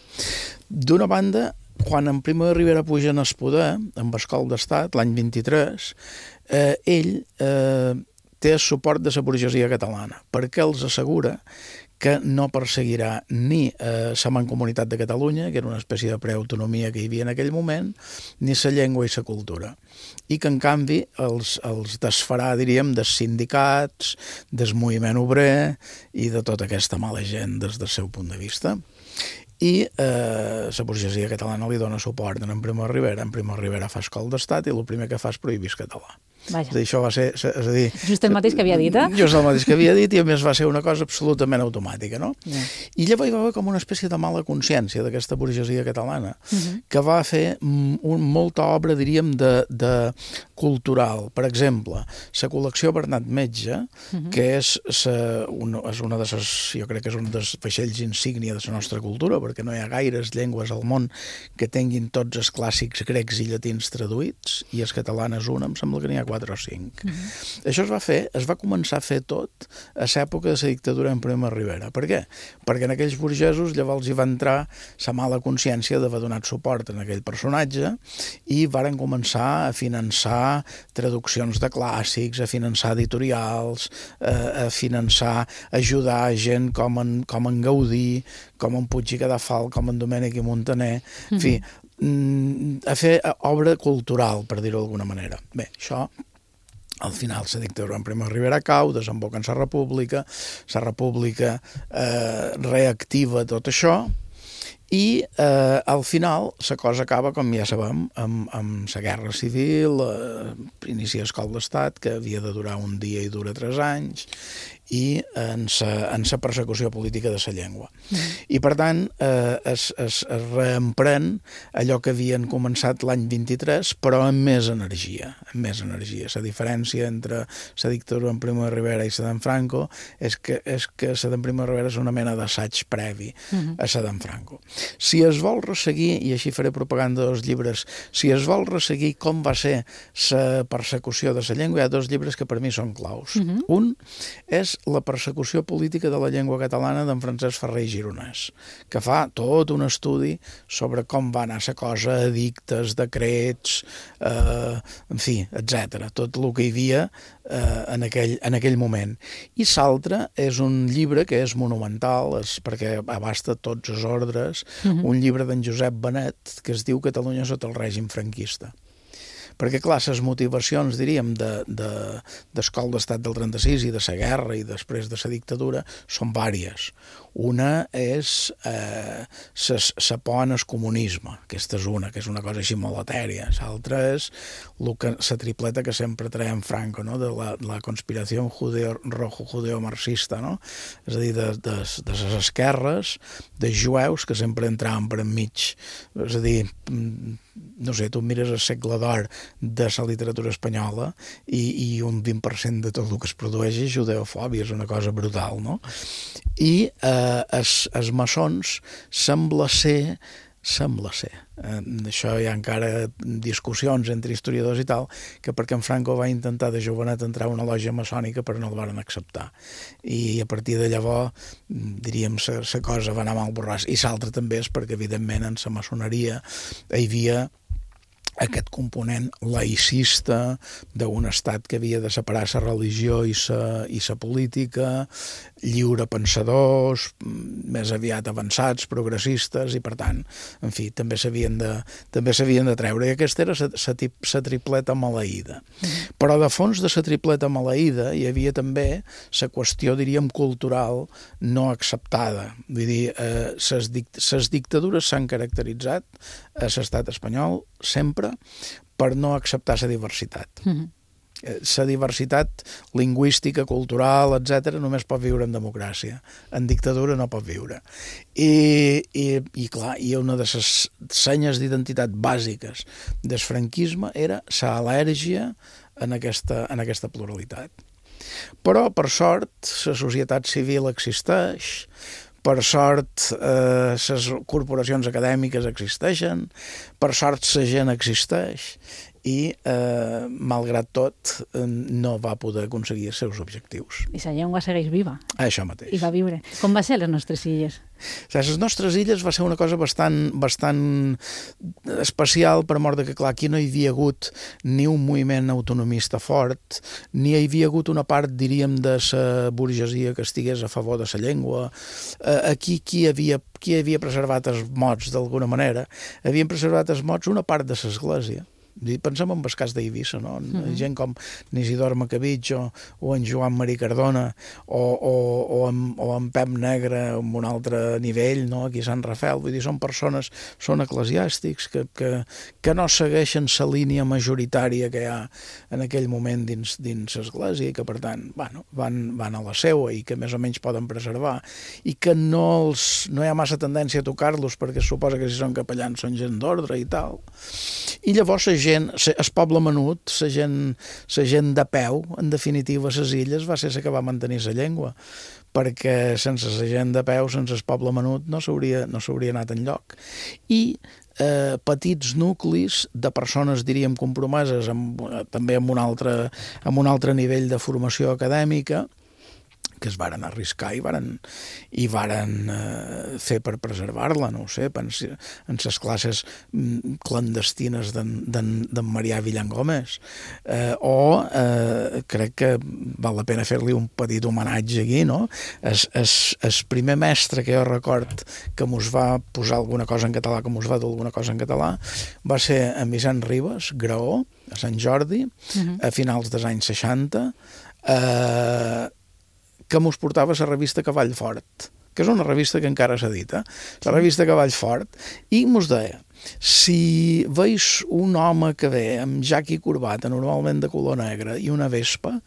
D'una banda, quan en Primo de Rivera puja en el poder, amb el cop d'estat, l'any 23, ell té el suport de la burgesia catalana, perquè els assegura que no perseguirà ni la Mancomunitat de Catalunya, que era una espècie de preautonomia que hi havia en aquell moment, ni la llengua i la cultura. I que, en canvi, els desfarà, diríem, dels sindicats, del moviment obrer i de tota aquesta mala gent des del seu punt de vista. I la burgesia catalana li dona suport en Primo de Rivera. En Primo de Rivera fa escol d'estat i el primer que fa és prohibir el català. Vaja. Això va ser... És a dir, just el mateix que havia dit, eh? Just el mateix que havia dit, i a més va ser una cosa absolutament automàtica, no? Yeah. I llavors hi va haver com una espècie de mala consciència d'aquesta burgesia catalana, que va fer molta obra, diríem, de cultural. Per exemple, la col·lecció Bernat Metge, que és una de les, jo crec que és un dels vaixells insígnia de la nostra cultura, perquè no hi ha gaires llengües al món que tinguin tots els clàssics grecs i llatins traduïts, i els catalanes una, em sembla que n'hi ha 4 o 5. Això es va començar a fer tot a l'època de la dictadura en Primo de Rivera. Per què? Perquè en aquells burgesos llavors hi va entrar la mala consciència d'haver donat suport a aquell personatge i varen començar a finançar traduccions de clàssics, a finançar editorials, a finançar, ajudar gent com en Gaudí, com en Puig i Cadafal, com en Domènech i Montaner, en fi, a fer obra cultural, per dir-ho d'alguna manera. Bé, això, al final, la dictadura en Primo de Rivera cau, desemboca en la república reactiva tot això, i al final la cosa acaba, com ja sabem, amb la guerra civil, inicia el cop d'estat, que havia de durar un dia i dura 3 anys, i en la persecució política de la llengua. I, per tant, es reemprèn allò que havien començat l'any 23, però amb més energia. La diferència entre la dictadura en Primo de Rivera i la d'en Franco és que la d'en Primo de Rivera és una mena d'assaig previ a la d'en Franco. Si es vol resseguir, i així faré propaganda dels llibres, si es vol resseguir com va ser la persecució de la llengua, hi ha 2 llibres que per mi són claus. Un és La persecució política de la llengua catalana d'en Francesc Ferrer i Gironès, que fa tot un estudi sobre com va anar la cosa, edictes, decrets, en fi, etc. Tot el que hi havia en aquell moment. I l'altre és un llibre que és monumental, perquè abasta tots els ordres, un llibre d'en Josep Benet que es diu Catalunya sota el règim franquista. Perquè, clar, les motivacions, diríem, del cop d'estat del 36 i de la guerra i després de la dictadura són vàries. Una és la por en el comunisme, aquesta és una cosa així molt etèria. L'altra és la tripleta que sempre traiem Franco, no? De la conspiració rojo-judeo-marxista, no? És a dir, de les esquerres, dels jueus que sempre entraven per enmig. És a dir, no sé, tu mires el segle d'or de la literatura espanyola i un 20% de tot el que es produeix és judeofòbia, és una cosa brutal, no? I els maçons sembla ser Sembla ser. Això hi ha encara discussions entre historiadors i tal, que perquè en Franco va intentar de jovenet entrar a una lògia maçònica però no el van acceptar. I a partir de llavors, diríem, la cosa va anar mal borràs. I l'altra també és perquè, evidentment, en la maçoneria hi havia aquest component laïcista d'un estat que havia de separar la religió i la política, lliurepensadors, més aviat avançats, progressistes, i per tant, en fi, també s'havien de treure. I aquesta era la tripleta maleïda. Però de fons de la tripleta maleïda hi havia també la qüestió, diríem, cultural no acceptada. Vull dir, les dictadures s'han caracteritzat a l'estat espanyol sempre per no acceptar la diversitat. La diversitat lingüística, cultural, etc., només pot viure en democràcia. En dictadura no pot viure. I clar, una de les senyes d'identitat bàsiques del franquisme era l'al·lèrgia en aquesta pluralitat. Però, per sort, la societat civil existeix, per sort, les corporacions acadèmiques existeixen, per sort, la gent existeix, i, malgrat tot, no va poder aconseguir els seus objectius. I la llengua segueix viva. Això mateix. I va viure. Com va ser les nostres illes? Les nostres illes va ser una cosa bastant especial, per mort que, clar, aquí no hi havia hagut ni un moviment autonomista fort, ni hi havia hagut una part, diríem, de la burgesia que estigués a favor de la llengua. Aquí qui havia preservat els mots, d'alguna manera? Havien preservat els mots una part de l'església. Pensem en el cas d'Eivissa, no? Gent com Isidor Macabitx o en Joan Marí Cardona o en Pep Negre en un altre nivell, no? Aquí a Sant Rafel. Vull dir, són persones, són eclesiàstics que no segueixen la línia majoritària que hi ha en aquell moment dins l'església i que, per tant, van a la seua i que més o menys poden preservar i que no hi ha massa tendència a tocar-los perquè es suposa que si són capellans són gent d'ordre i tal. I llavors el poble menut, la gent de peu, en definitiva, a les illes, va ser la que va mantenir la llengua, perquè sense la gent de peu, sense el poble menut, no s'hauria anat enlloc. I petits nuclis de persones, diríem, compromeses també amb un altre nivell de formació acadèmica, que es varen arriscar i varen fer per preservar-la, no ho sé, en les classes clandestines d'en Marià Villangómez. Crec que val la pena fer-li un petit homenatge aquí, no? El primer mestre que jo record que mos va posar alguna cosa en català, que mos va dur alguna cosa en català, va ser en Vicent Ribes, Graó, a Sant Jordi, a finals dels anys 60, que mos portava la revista Cavall Fort, que és una revista que encara s'edita, la revista Cavall Fort, i mos deia, si veus un home que ve amb jac i corbata, normalment de color negre, i una vespa,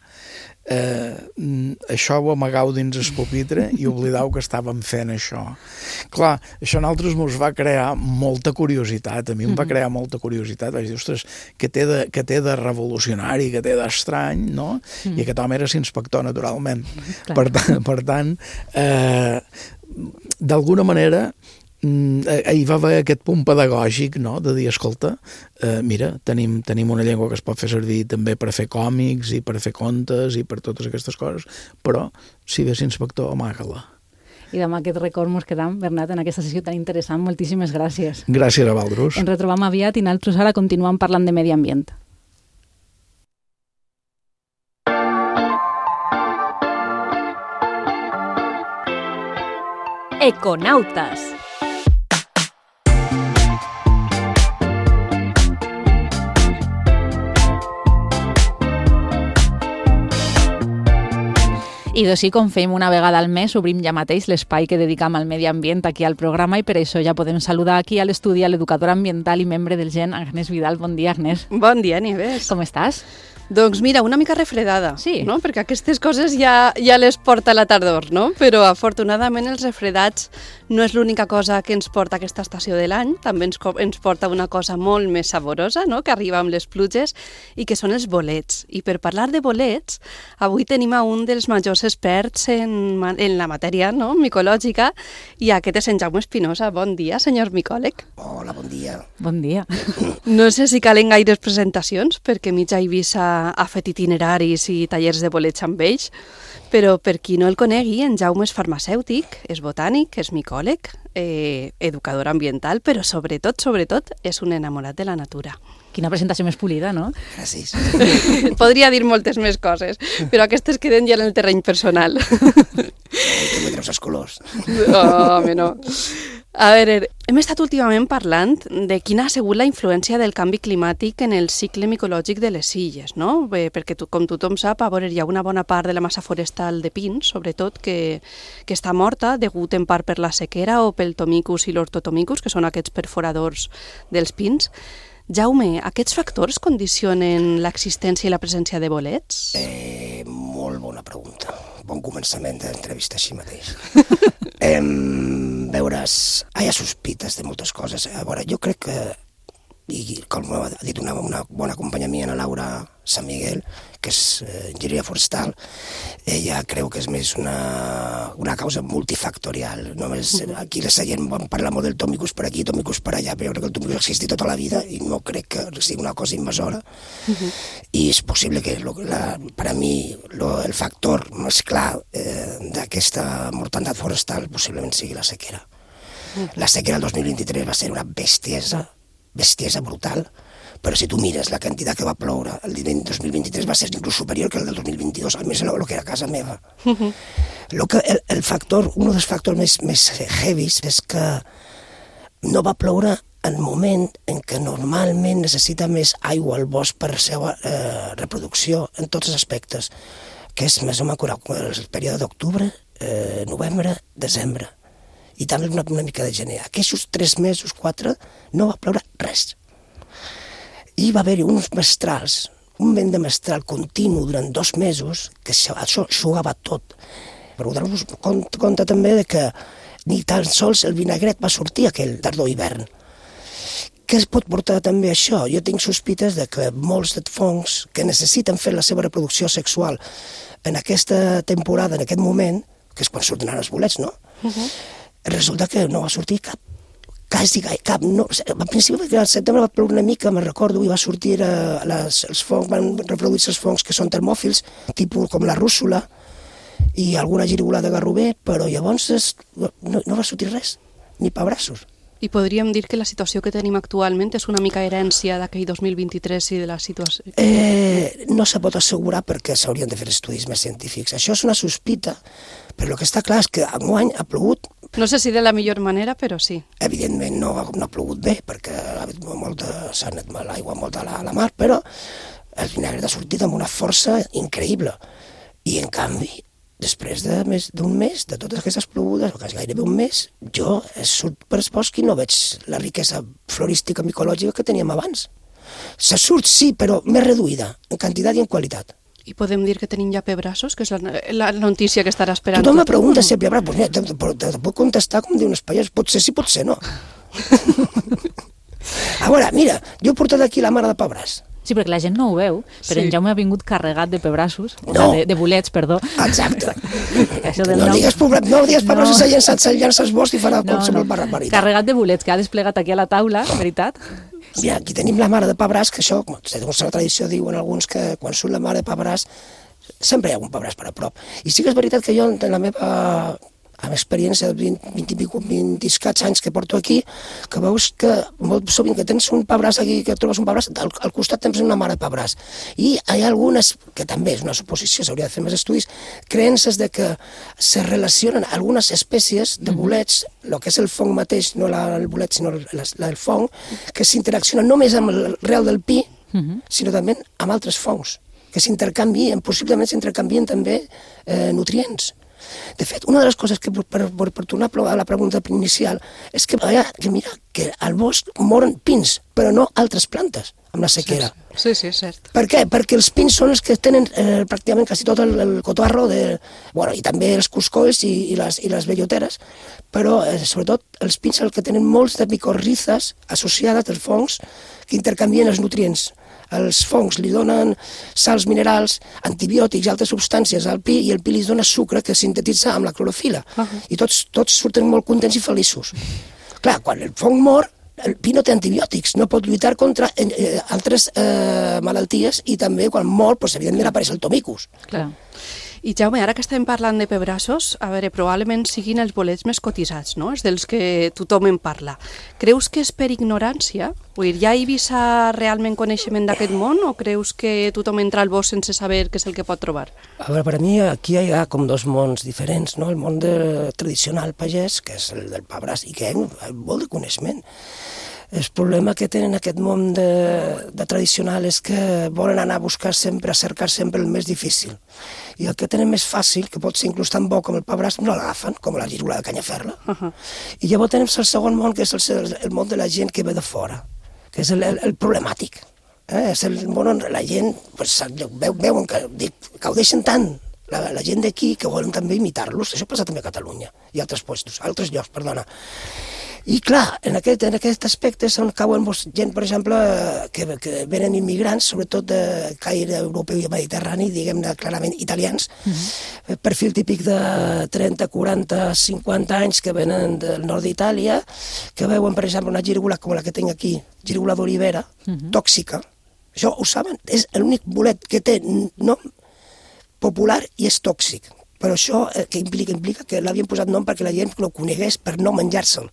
això ho amagau dins el pupitre i oblidau que estàvem fent això. Clar, això a nosaltres mos va crear molta curiositat, a mi em va crear molta curiositat, vaig dir, ostres, què té de revolucionari, què té d'estrany, no? I aquest home era l'inspector, naturalment. Per tant, d'alguna manera, hi va haver aquest punt pedagògic, no?, de dir, escolta, mira, tenim una llengua que es pot fer servir també per fer còmics i per fer contes i per totes aquestes coses, però si ves inspector, amaga-la. I amb aquest record mos quedam, Bernat, en aquesta sessió tan interessant. Moltíssimes gràcies. Gràcies a vosaltres. Ens retrobam aviat i nosaltres ara continuem parlant de medi ambient. Econautes. I d'ací, com fem una vegada al mes, obrim ja mateix l'espai que dedicam al medi ambient aquí al programa i per això ja podem saludar aquí a l'estudi a l'educadora ambiental i membre del GEN, Agnès Vidal. Bon dia, Agnès. Bon dia, Nieves. Com estàs? Doncs mira, una mica refredada, sí, no? Perquè aquestes coses ja les porta la tardor, no? Però afortunadament els refredats No és l'única cosa que ens porta aquesta estació de l'any, també ens porta una cosa molt més saborosa, no?, que arriba amb les pluges, i que són els bolets. I per parlar de bolets, avui tenim a un dels majors experts en la matèria, no?, micològica, i aquest és en Jaume Espinosa. Bon dia, senyor micòleg. Hola, bon dia. Bon dia. No sé si calen gaires presentacions, perquè mitja Eivissa ha fet itineraris i tallers de bolets amb ells, però per qui no el conegui, en Jaume és farmacèutic, és botànic, és micòleg, educador ambiental, però sobretot és un enamorat de la natura. Quina presentació més polida, no? Gràcies. Podria dir moltes més coses, però aquestes queden ja en el terreny personal. Tu me treus els colors. Oh, home, no. A veure, hem estat últimament parlant de quina ha sigut la influència del canvi climàtic en el cicle micològic de les illes, no? Perquè, com tothom sap, a veure, hi ha una bona part de la massa forestal de pins, sobretot, que està morta, degut en part per la sequera o pel tomicus i l'ortotomicus, que són aquests perforadors dels pins. Jaume, aquests factors condicionen l'existència i la presència de bolets? Molt bona pregunta. Bon començament d'entrevista així mateix. Veuràs, hi ha sospites de moltes coses. A veure, jo crec que, i com ha dit una bona companya mia, la Laura Sant Miguel, que és enginyeria forestal, ella creu que és més una causa multifactorial. Només aquí a la Sallent vam parlar molt del tomicus per aquí, tomicus per allà, però jo crec que el tomicus ha existit tota la vida i no crec que sigui una cosa invasora. I és possible que, per a mi, el factor més clar d'aquesta mortalitat forestal possiblement sigui la sequera. La sequera del 2023 va ser una bestiesa brutal, però si tu mires la quantitat que va ploure el 2023 va ser inclús superior que el del 2022, almenys el que era a casa meva. Un dels factors més heavies és que no va ploure en el moment en què normalment necessita més aigua al bosc per la seva reproducció en tots els aspectes, que és més o menys el període d'octubre, novembre, desembre, i també una mica de gener. Aquests 3 mesos, 4, no va ploure res. I va haver-hi uns mestrals, un vent de mestral continu durant 2 mesos, que això xugava tot. Per donar-vos compte també que ni tan sols el vinagret va sortir aquell tardor-hivern. Què es pot portar també això? Jo tinc sospites de que molts de fongs que necessiten fer la seva reproducció sexual en aquesta temporada, en aquest moment, que és quan surten els bolets, no? Resulta que no va sortir cap. No. Al principi, al setembre va ploure una mica, me'n recordo, i va sortir els fongs, van reproduir-se els fongs que són termòfils, tipus com la rússula i alguna gírgola de garrover, però llavors no va sortir res, ni pebrassos. I podríem dir que la situació que tenim actualment és una mica herència d'aquell 2023 i de la situació? No se pot assegurar perquè s'haurien de fer estudis més científics. Això és una sospita, però el que està clar és que enguany ha plogut... No sé si de la millor manera, però sí. Evidentment no ha plogut bé, perquè s'ha anat l'aigua molt a la mar, però el vinagre ha sortit amb una força increïble. I en canvi, després d'un mes, de totes aquestes plogudes, o quasi gairebé un mes, jo surt per el bosc i no veig la riquesa florística micològica que teníem abans. Se surt, sí, però més reduïda, en quantitat i en qualitat. I podem dir que tenim ja pebrassos, que és la notícia que estarà esperant. Tothom me pregunta si hi ha pebrassos. Pues mira, te puc contestar com diuen els pallars, pot ser sí, pot ser no. A veure, mira, jo he portat aquí la mare de pebràs. Sí, perquè la gent no ho veu, però en Jaume ha vingut carregat de pebrassos, de bolets, perdó. Exacte. No digues pebrassos, s'ha llançat els boscs i farà qualsevol barbaritat. Carregat de bolets, que ha desplegat aquí a la taula, veritat. Mira, aquí tenim la mare de pebràs, que això, segons la tradició, diuen alguns que quan surt la mare de pebràs, sempre hi ha un pebràs per a prop. I sí que és veritat que jo, en la meva experiència de 20 escaig anys que porto aquí, que veus que molt sovint que tens un pebràs aquí, que trobes un pebràs, al costat tens una mare de pebràs. I hi ha algunes, que també és una suposició, s'hauria de fer més estudis, creences de que se relacionen algunes espècies de bolets, el que és el fong mateix, no el bolet, sinó el fong, que s'interaccionen només amb el rel del pi, sinó també amb altres fongs, que s'intercanvien, possiblement s'intercanvien també nutrients. De fet, una de les coses que, per tornar a la pregunta inicial, és que mira que al bosc moren pins, però no altres plantes amb la sequera. Sí, cert. Per què? Perquè els pins són els que tenen pràcticament quasi tot el cotorro, i també els cuscolls i les belloteres, però sobretot els pins el que tenen molts de micorrizes associades dels fongs que intercanvien els nutrients. Els fongs li donen sals minerals, antibiòtics i altres substàncies al pi, i el pi li dona sucre que sintetitza amb la clorofila. I tots surten molt contents i feliços. Clar, quan el fong mor, el pi no té antibiòtics, no pot lluitar contra altres malalties, i també quan mor, evidentment apareix el tomicus. Clar. I Jaume, ara que estem parlant de pebrassos, a veure, probablement siguin els bolets més cotitzats, no? És dels que tothom en parla. Creus que és per ignorància? Vull dir, hi ha a Eivissa realment coneixement d'aquest món, o creus que tothom entra al bosc sense saber què és el que pot trobar? A veure, per a mi aquí hi ha com dos mons diferents, no? El món tradicional pagès, que és el del pebràs, i que hi ha molt de coneixement. El problema que tenen aquest món de tradicional és que volen anar a buscar sempre, a cercar sempre el més difícil. I el que tenen més fàcil, que pot ser inclús tan bo com el pebràs, no l'agafen, com la girola de Canyaferla. I llavors tenim el segon món, que és el món de la gent que ve de fora, que és el problemàtic. És el món on la gent veuen que gaudeixen tant la gent d'aquí que volen també imitar-los. Això passa també a Catalunya i a altres llocs, perdona. I clar, en aquest aspecte on cauen gent, per exemple, que venen immigrants, sobretot de caire europeu i mediterrani, diguem-ne clarament italians, perfil típic de 30, 40, 50 anys que venen del nord d'Itàlia, que veuen, per exemple, una gírgola com la que tinc aquí, gírgola d'olivera, tòxica. Això ho saben? És l'únic bolet que té nom popular i és tòxic. Però això que implica que l'havien posat nom perquè la gent lo conegués per no menjar-se'l.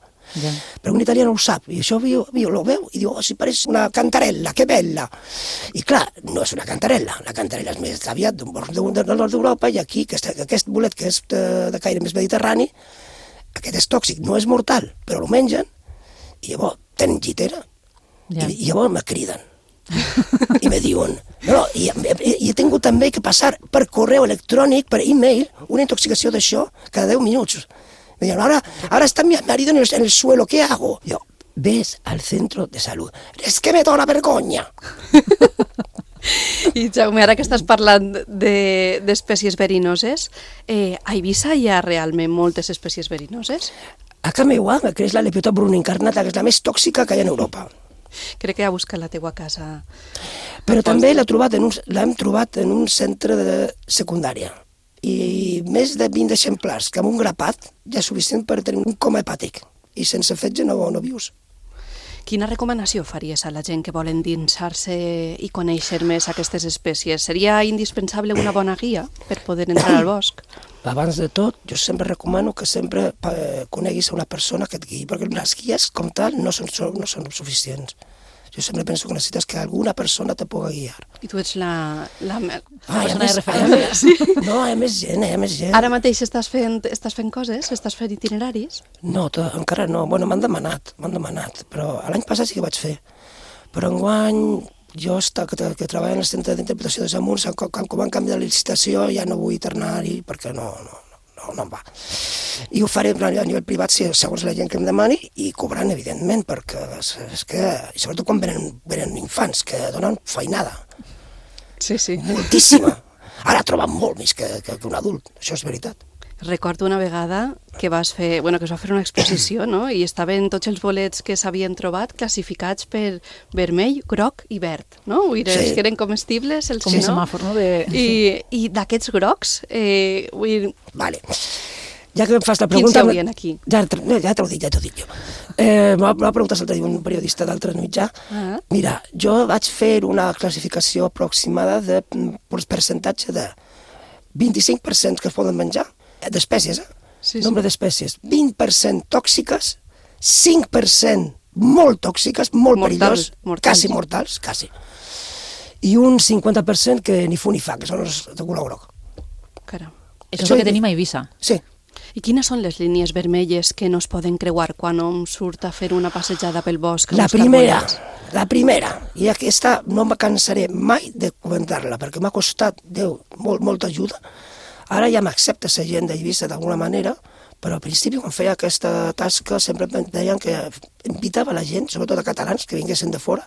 Però un italià no ho sap, i això lo veu i diu, si pareix una cantarella, que bella. I clar, no és una cantarella, la cantarella és més aviat del nord d'Europa, i aquí aquest bolet que és de caire més mediterrani, aquest és tòxic, no és mortal, però lo mengen, i llavors tenen llitera, i llavors me criden. I me diuen, i he tingut també que passar per correu electrònic, per e-mail, una intoxicació d'això cada 10 minuts. Me dijeron, ahora está mi marido en el suelo, ¿qué hago? Yo, ves al centro de salud. Es que me dona vergonya. I Jaume, ara que estàs parlant d'espècies verinoses, a Eivissa hi ha realment moltes espècies verinoses? A Cameuà creix la lepiota bruna incarnata, que és la més tòxica que hi ha en Europa. Crec que ha buscat la teua casa. Però també l'hem trobat en un centre de secundària. I més de 20 exemplars, que amb un grapat ja és suficient per tenir un coma hepàtic. I sense fetge no vius. Quina recomanació faries a la gent que vol endinsar-se i conèixer més aquestes espècies? Seria indispensable una bona guia per poder entrar al bosc? Abans de tot, jo sempre recomano que sempre coneguis una persona que et guiï, perquè les guies, com tal, no són suficients. Jo sempre penso que necessites que alguna persona te pugui guiar. I tu ets la persona de referència. No, hi ha més gent, Ara mateix estàs fent coses? Estàs fent itineraris? No, encara no. Bueno, m'han demanat, però l'any passat sí que vaig fer. Però enguany, jo que treballo en el centre d'interpretació de Samuns, com han canviat la licitació, ja no vull tornar-hi perquè no em va. I ho faré a nivell privat segons la gent que em demani i cobrant, evidentment, perquè és que, sobretot quan venen infants, que donen feinada. Sí. Moltíssima. Ara troben molt més que un adult, això és veritat. Recordo una vegada que es va fer una exposició, no? I estaven tots els bolets que s'havien trobat classificats per vermell, groc i verd, no? Els que eren comestibles, els que no. Com un semàfor, no? I d'aquests grocs, Vale. Ja que em fas la pregunta... Quins hi haurien aquí? Ja t'ho dic jo. M'ha preguntat l'altre dia un periodista d'altre mitjà. Mira, jo vaig fer una classificació aproximada de percentatge de 25% que es poden menjar, d'espècies, nombre d'espècies, 20% tòxiques, 5% molt tòxiques, molt perillós, quasi mortals, i un 50% que ni fu ni fa, que són els de color groc. Caram. Això és el que tenim a Eivissa. Sí. I quines són les línies vermelles que no es poden creuar quan hom surt a fer una passejada pel bosc? La primera, i aquesta no em cansaré mai de comentar-la, perquè m'ha costat, Déu, molta ajuda, Ara ja m'accepta la gent d'Eivissa d'alguna manera, però al principi, quan feia aquesta tasca, sempre em deien que invitava la gent, sobretot a catalans, que vinguessin de fora,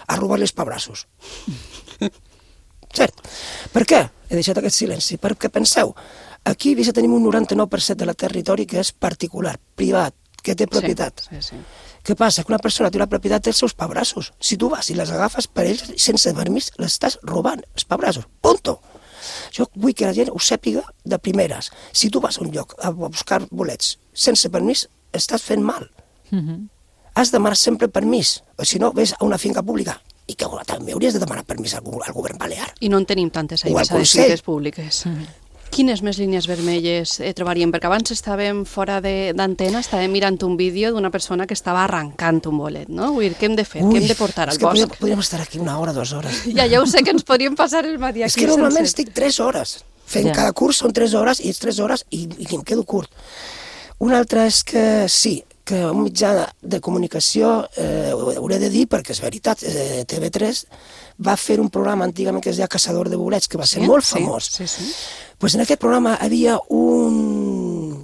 a robar-li els pabrassos. Cert. Per què he deixat aquest silenci? Perquè penseu, aquí a Eivissa tenim un 99% del territori que és particular, privat, que té propietat. Sí. Què passa? Que una persona té una propietat dels seus pabrassos. Si tu vas i les agafes per ells sense permís, l'estàs robant, els pabrassos. Punto. Jo vull que la gent ho sàpiga de primeres. Si tu vas a un lloc a buscar bolets sense permís, estàs fent mal. Has de demanar sempre permís, o si no, ves a una finca pública i que també hauries de demanar permís al govern balear. I no en tenim tantes a Eivissa de finques públiques. Quines més línies vermelles trobaríem? Perquè abans estàvem fora d'antena, estàvem mirant un vídeo d'una persona que estava arrencant un bolet, no? Vull dir, què hem de fer? Què hem de portar al bosc? Podríem estar aquí 1 hora, 2 hores. Ja ho sé, que ens podríem passar el matí aquí. És que normalment estic 3 hores. Fent cada curs són 3 hores, i 3 hores i em quedo curt. Una altra és que sí, que un mitjà de comunicació, ho hauré de dir perquè és veritat, TV3 va fer un programa antigament que es deia Caçador de bolets, que va ser molt famós. Pues en aquest programa hi havia un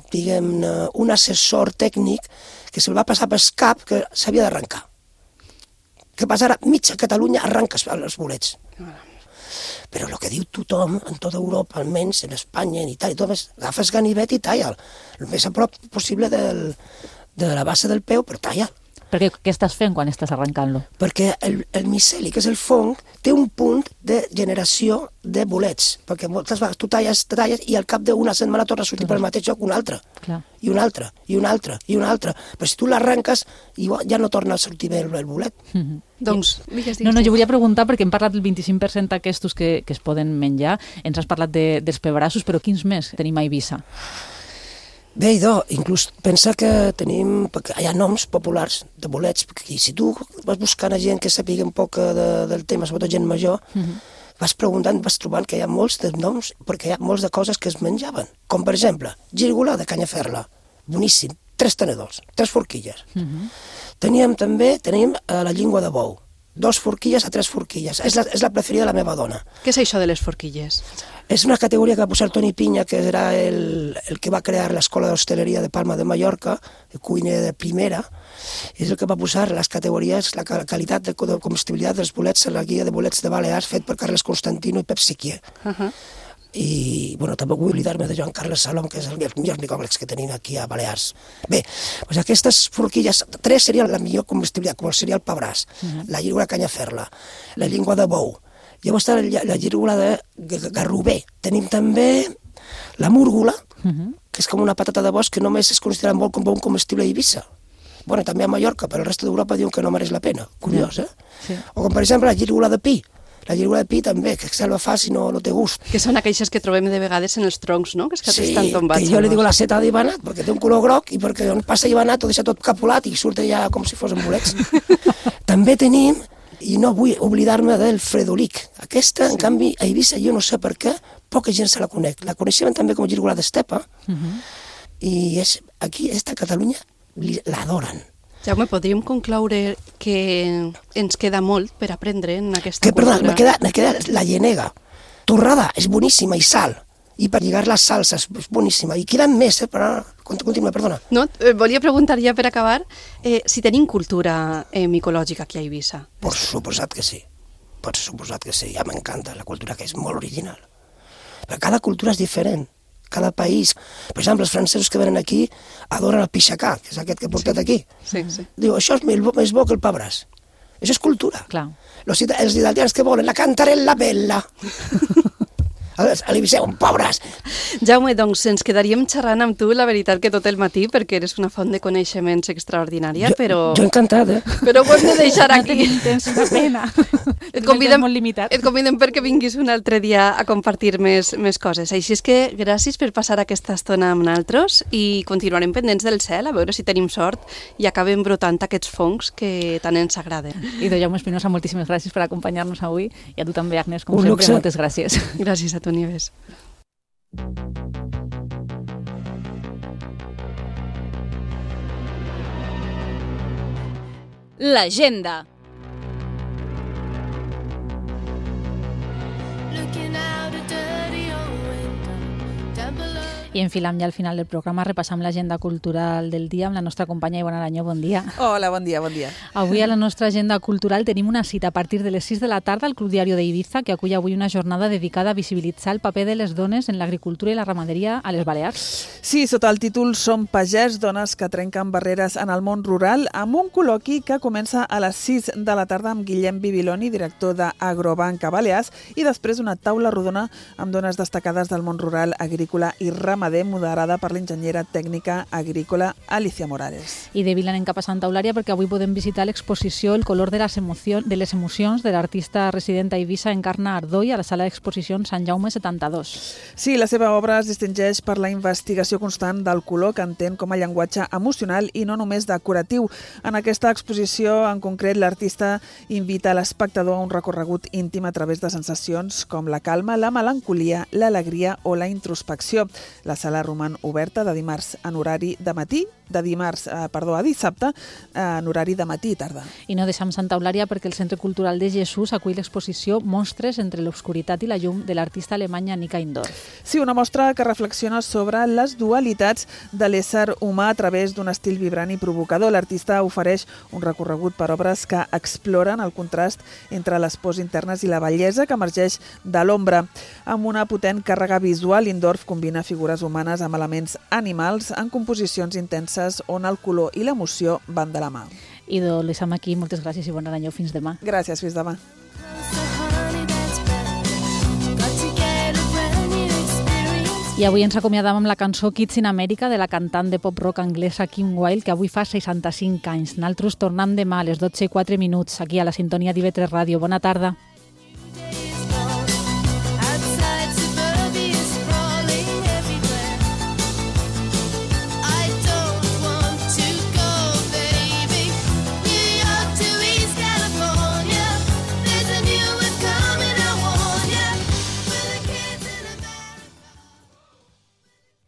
assessor tècnic que se'l va passar pel cap que s'havia d'arrencar. Què passa ara? Mitja Catalunya arranca els bolets. Però el que diu tothom, en tota Europa, almenys, en Espanya, en Itàlia, tot és, agafes ganivet i talla'l. El més a prop possible de la base del peu, però talla'l. Perquè què estàs fent quan estàs arrencant-lo? Perquè el miceli, que és el fong, té un punt de generació de bolets. Perquè moltes vegades tu talles i al cap d'una setmana torna a sortir pel mateix lloc un altre. I un altre, i un altre, i un altre. Però si tu l'arrenques, ja no torna a sortir bé el bolet. Doncs, digues. No, jo volia preguntar, perquè hem parlat del 25% aquests que es poden menjar, ens has parlat dels pebrassos, però quins més tenim a Eivissa? Bé, idò, inclús pensa que tenim, perquè hi ha noms populars de bolets, perquè si tu vas buscant a gent que sàpiga un poc del tema, sobretot gent major, vas preguntant, vas trobant que hi ha molts de noms, perquè hi ha molts de coses que es menjaven. Com, per exemple, gírgola de canyaferla, boníssim, 3 tenedors, 3 forquilles. Tenim la llengua de bou, 2 forquilles a 3 forquilles. És la preferida de la meva dona. Què és això de les forquilles? És una categoria que va posar Toni Pinya, que era el que va crear l'escola d'hostaleria de Palma de Mallorca, el cuiner de primera, és el que va posar les categories, la qualitat de comestibilitat dels bolets en la guia de bolets de Balears fet per Carles Constantino i Pep Siquier. I, bueno, també vull oblidar-me de Joan Carles Salom, que és el millor micòlegs que tenim aquí a Balears. Bé, doncs aquestes forquilles, 3 serien la millor comestibilitat, com seria el pebràs, la llengua de canyaferla, la llengua de bou. Llavors està la gírgola de garrover. Tenim també la múrgola, que és com una patata de bosc que només es considera molt com bon comestible a Eivissa. Bueno, també a Mallorca, però el resto d'Europa diuen que no mereix la pena. Curiós, eh? O com, per exemple, la gírgola de pi. La gírgola de pi també, que se la fa si no té gust. Que són aquelles que trobem de vegades en els troncs, no? Que estan tombats. Sí, que jo li dic la seta d'Ivanat, perquè té un color groc i perquè on passa Ivanat ho deixa tot capulat i surt ja com si fos en bolets. També tenim, i no vull oblidar-me del fredolic. Aquesta, en canvi, a Eivissa, jo no sé per què, poca gent se la conec. La coneixem també com gírgola d'estepa, i aquí, a Catalunya, l'adoren. Jaume, podríem concloure que ens queda molt per aprendre en aquesta cultura. Perdona, me queda la llenega. Torrada, és boníssima, i sal. I per lligar les salses, és boníssima. I queden més, però continua, perdona. No, volia preguntar ja per acabar si tenim cultura micològica aquí a Eivissa. Per suposat que sí. Per suposat que sí. Ja m'encanta la cultura, que és molt original. Però cada cultura és diferent. Cada país. Per exemple, els francesos que venen aquí adoren el pixacà, que és aquest que he portat aquí. Diu, això és més bo que el pebràs. Això és cultura. Els italians que volen la cantarella bella. A l'Eivissa, un pobres. Jaume, doncs ens quedaríem xerrant amb tu, la veritat, que tot el matí, perquè eres una font de coneixements extraordinària, però... Jo encantat, Però ho hem de deixar aquí. No tenim temps, una pena. Et convidem perquè vinguis un altre dia a compartir més coses. Així és que gràcies per passar aquesta estona amb nosaltres i continuarem pendents del cel, a veure si tenim sort i acabem brotant aquests fongs que tant ens agraden. I de Jaume Espinosa, moltíssimes gràcies per acompanyar-nos avui, i a tu també, Agnès, com sempre, moltes gràcies. Gràcies a tu, Nieves. L'agenda. I enfilem ja al final del programa, repassam l'agenda cultural del dia amb la nostra companya Ivona Aranyó. Bon dia. Hola, bon dia, bon dia. Avui a la nostra agenda cultural tenim una cita a partir de les 6 de la tarda al Club Diario d'Eivissa, que acull avui una jornada dedicada a visibilitzar el paper de les dones en l'agricultura i la ramaderia a les Balears. Sí, sota el títol Som pagès, dones que trenquen barreres en el món rural, amb un col·loqui que comença a les 6 de la tarda amb Guillem Bibiloni, director d'Agrobanca Balears, i després una taula rodona amb dones destacades del món rural, agrícola i ramader, moderada per l'enginyera tècnica agrícola Alicia Morales. I de Vila anem cap a Santa Eulària perquè avui podem visitar l'exposició El color de les emocions de l'artista resident a Eivissa Encarna Ardoi a la sala d'exposicions Sant Jaume 72. Sí, la seva obra es distingeix per la investigació constant del color que entén com a llenguatge emocional i no només decoratiu. En aquesta exposició, en concret, l'artista invita l'espectador a un recorregut íntim a través de sensacions com la calma, la melancolia, l'alegria o la introspecció. La sala roman oberta de dimarts en horari de matí, a dissabte en horari de matí i tarda. I no deixem Santa Eulària perquè el Centre Cultural de Jesús acull l'exposició Monstres entre l'obscuritat i la llum de l'artista alemanya Nika Indorf. Sí, una mostra que reflexiona sobre les dualitats de l'ésser humà a través d'un estil vibrant i provocador. L'artista ofereix un recorregut per obres que exploren el contrast entre les pors internes i la bellesa que emergeix de l'ombra. Amb una potent càrrega visual, Indorf combina figures humanes amb elements animals en composicions intenses on el color i l'emoció van de la mà. I ho deixem aquí. Moltes gràcies, Ivona Aranyó. Fins demà. Gràcies, fins demà. I avui ens acomiadam amb la cançó Kids in America de la cantant de pop-rock anglesa Kim Wilde, que avui fa 65 anys. Nosaltres tornem demà a les 12:04 aquí a la sintonia d'IV3 Ràdio. Bona tarda.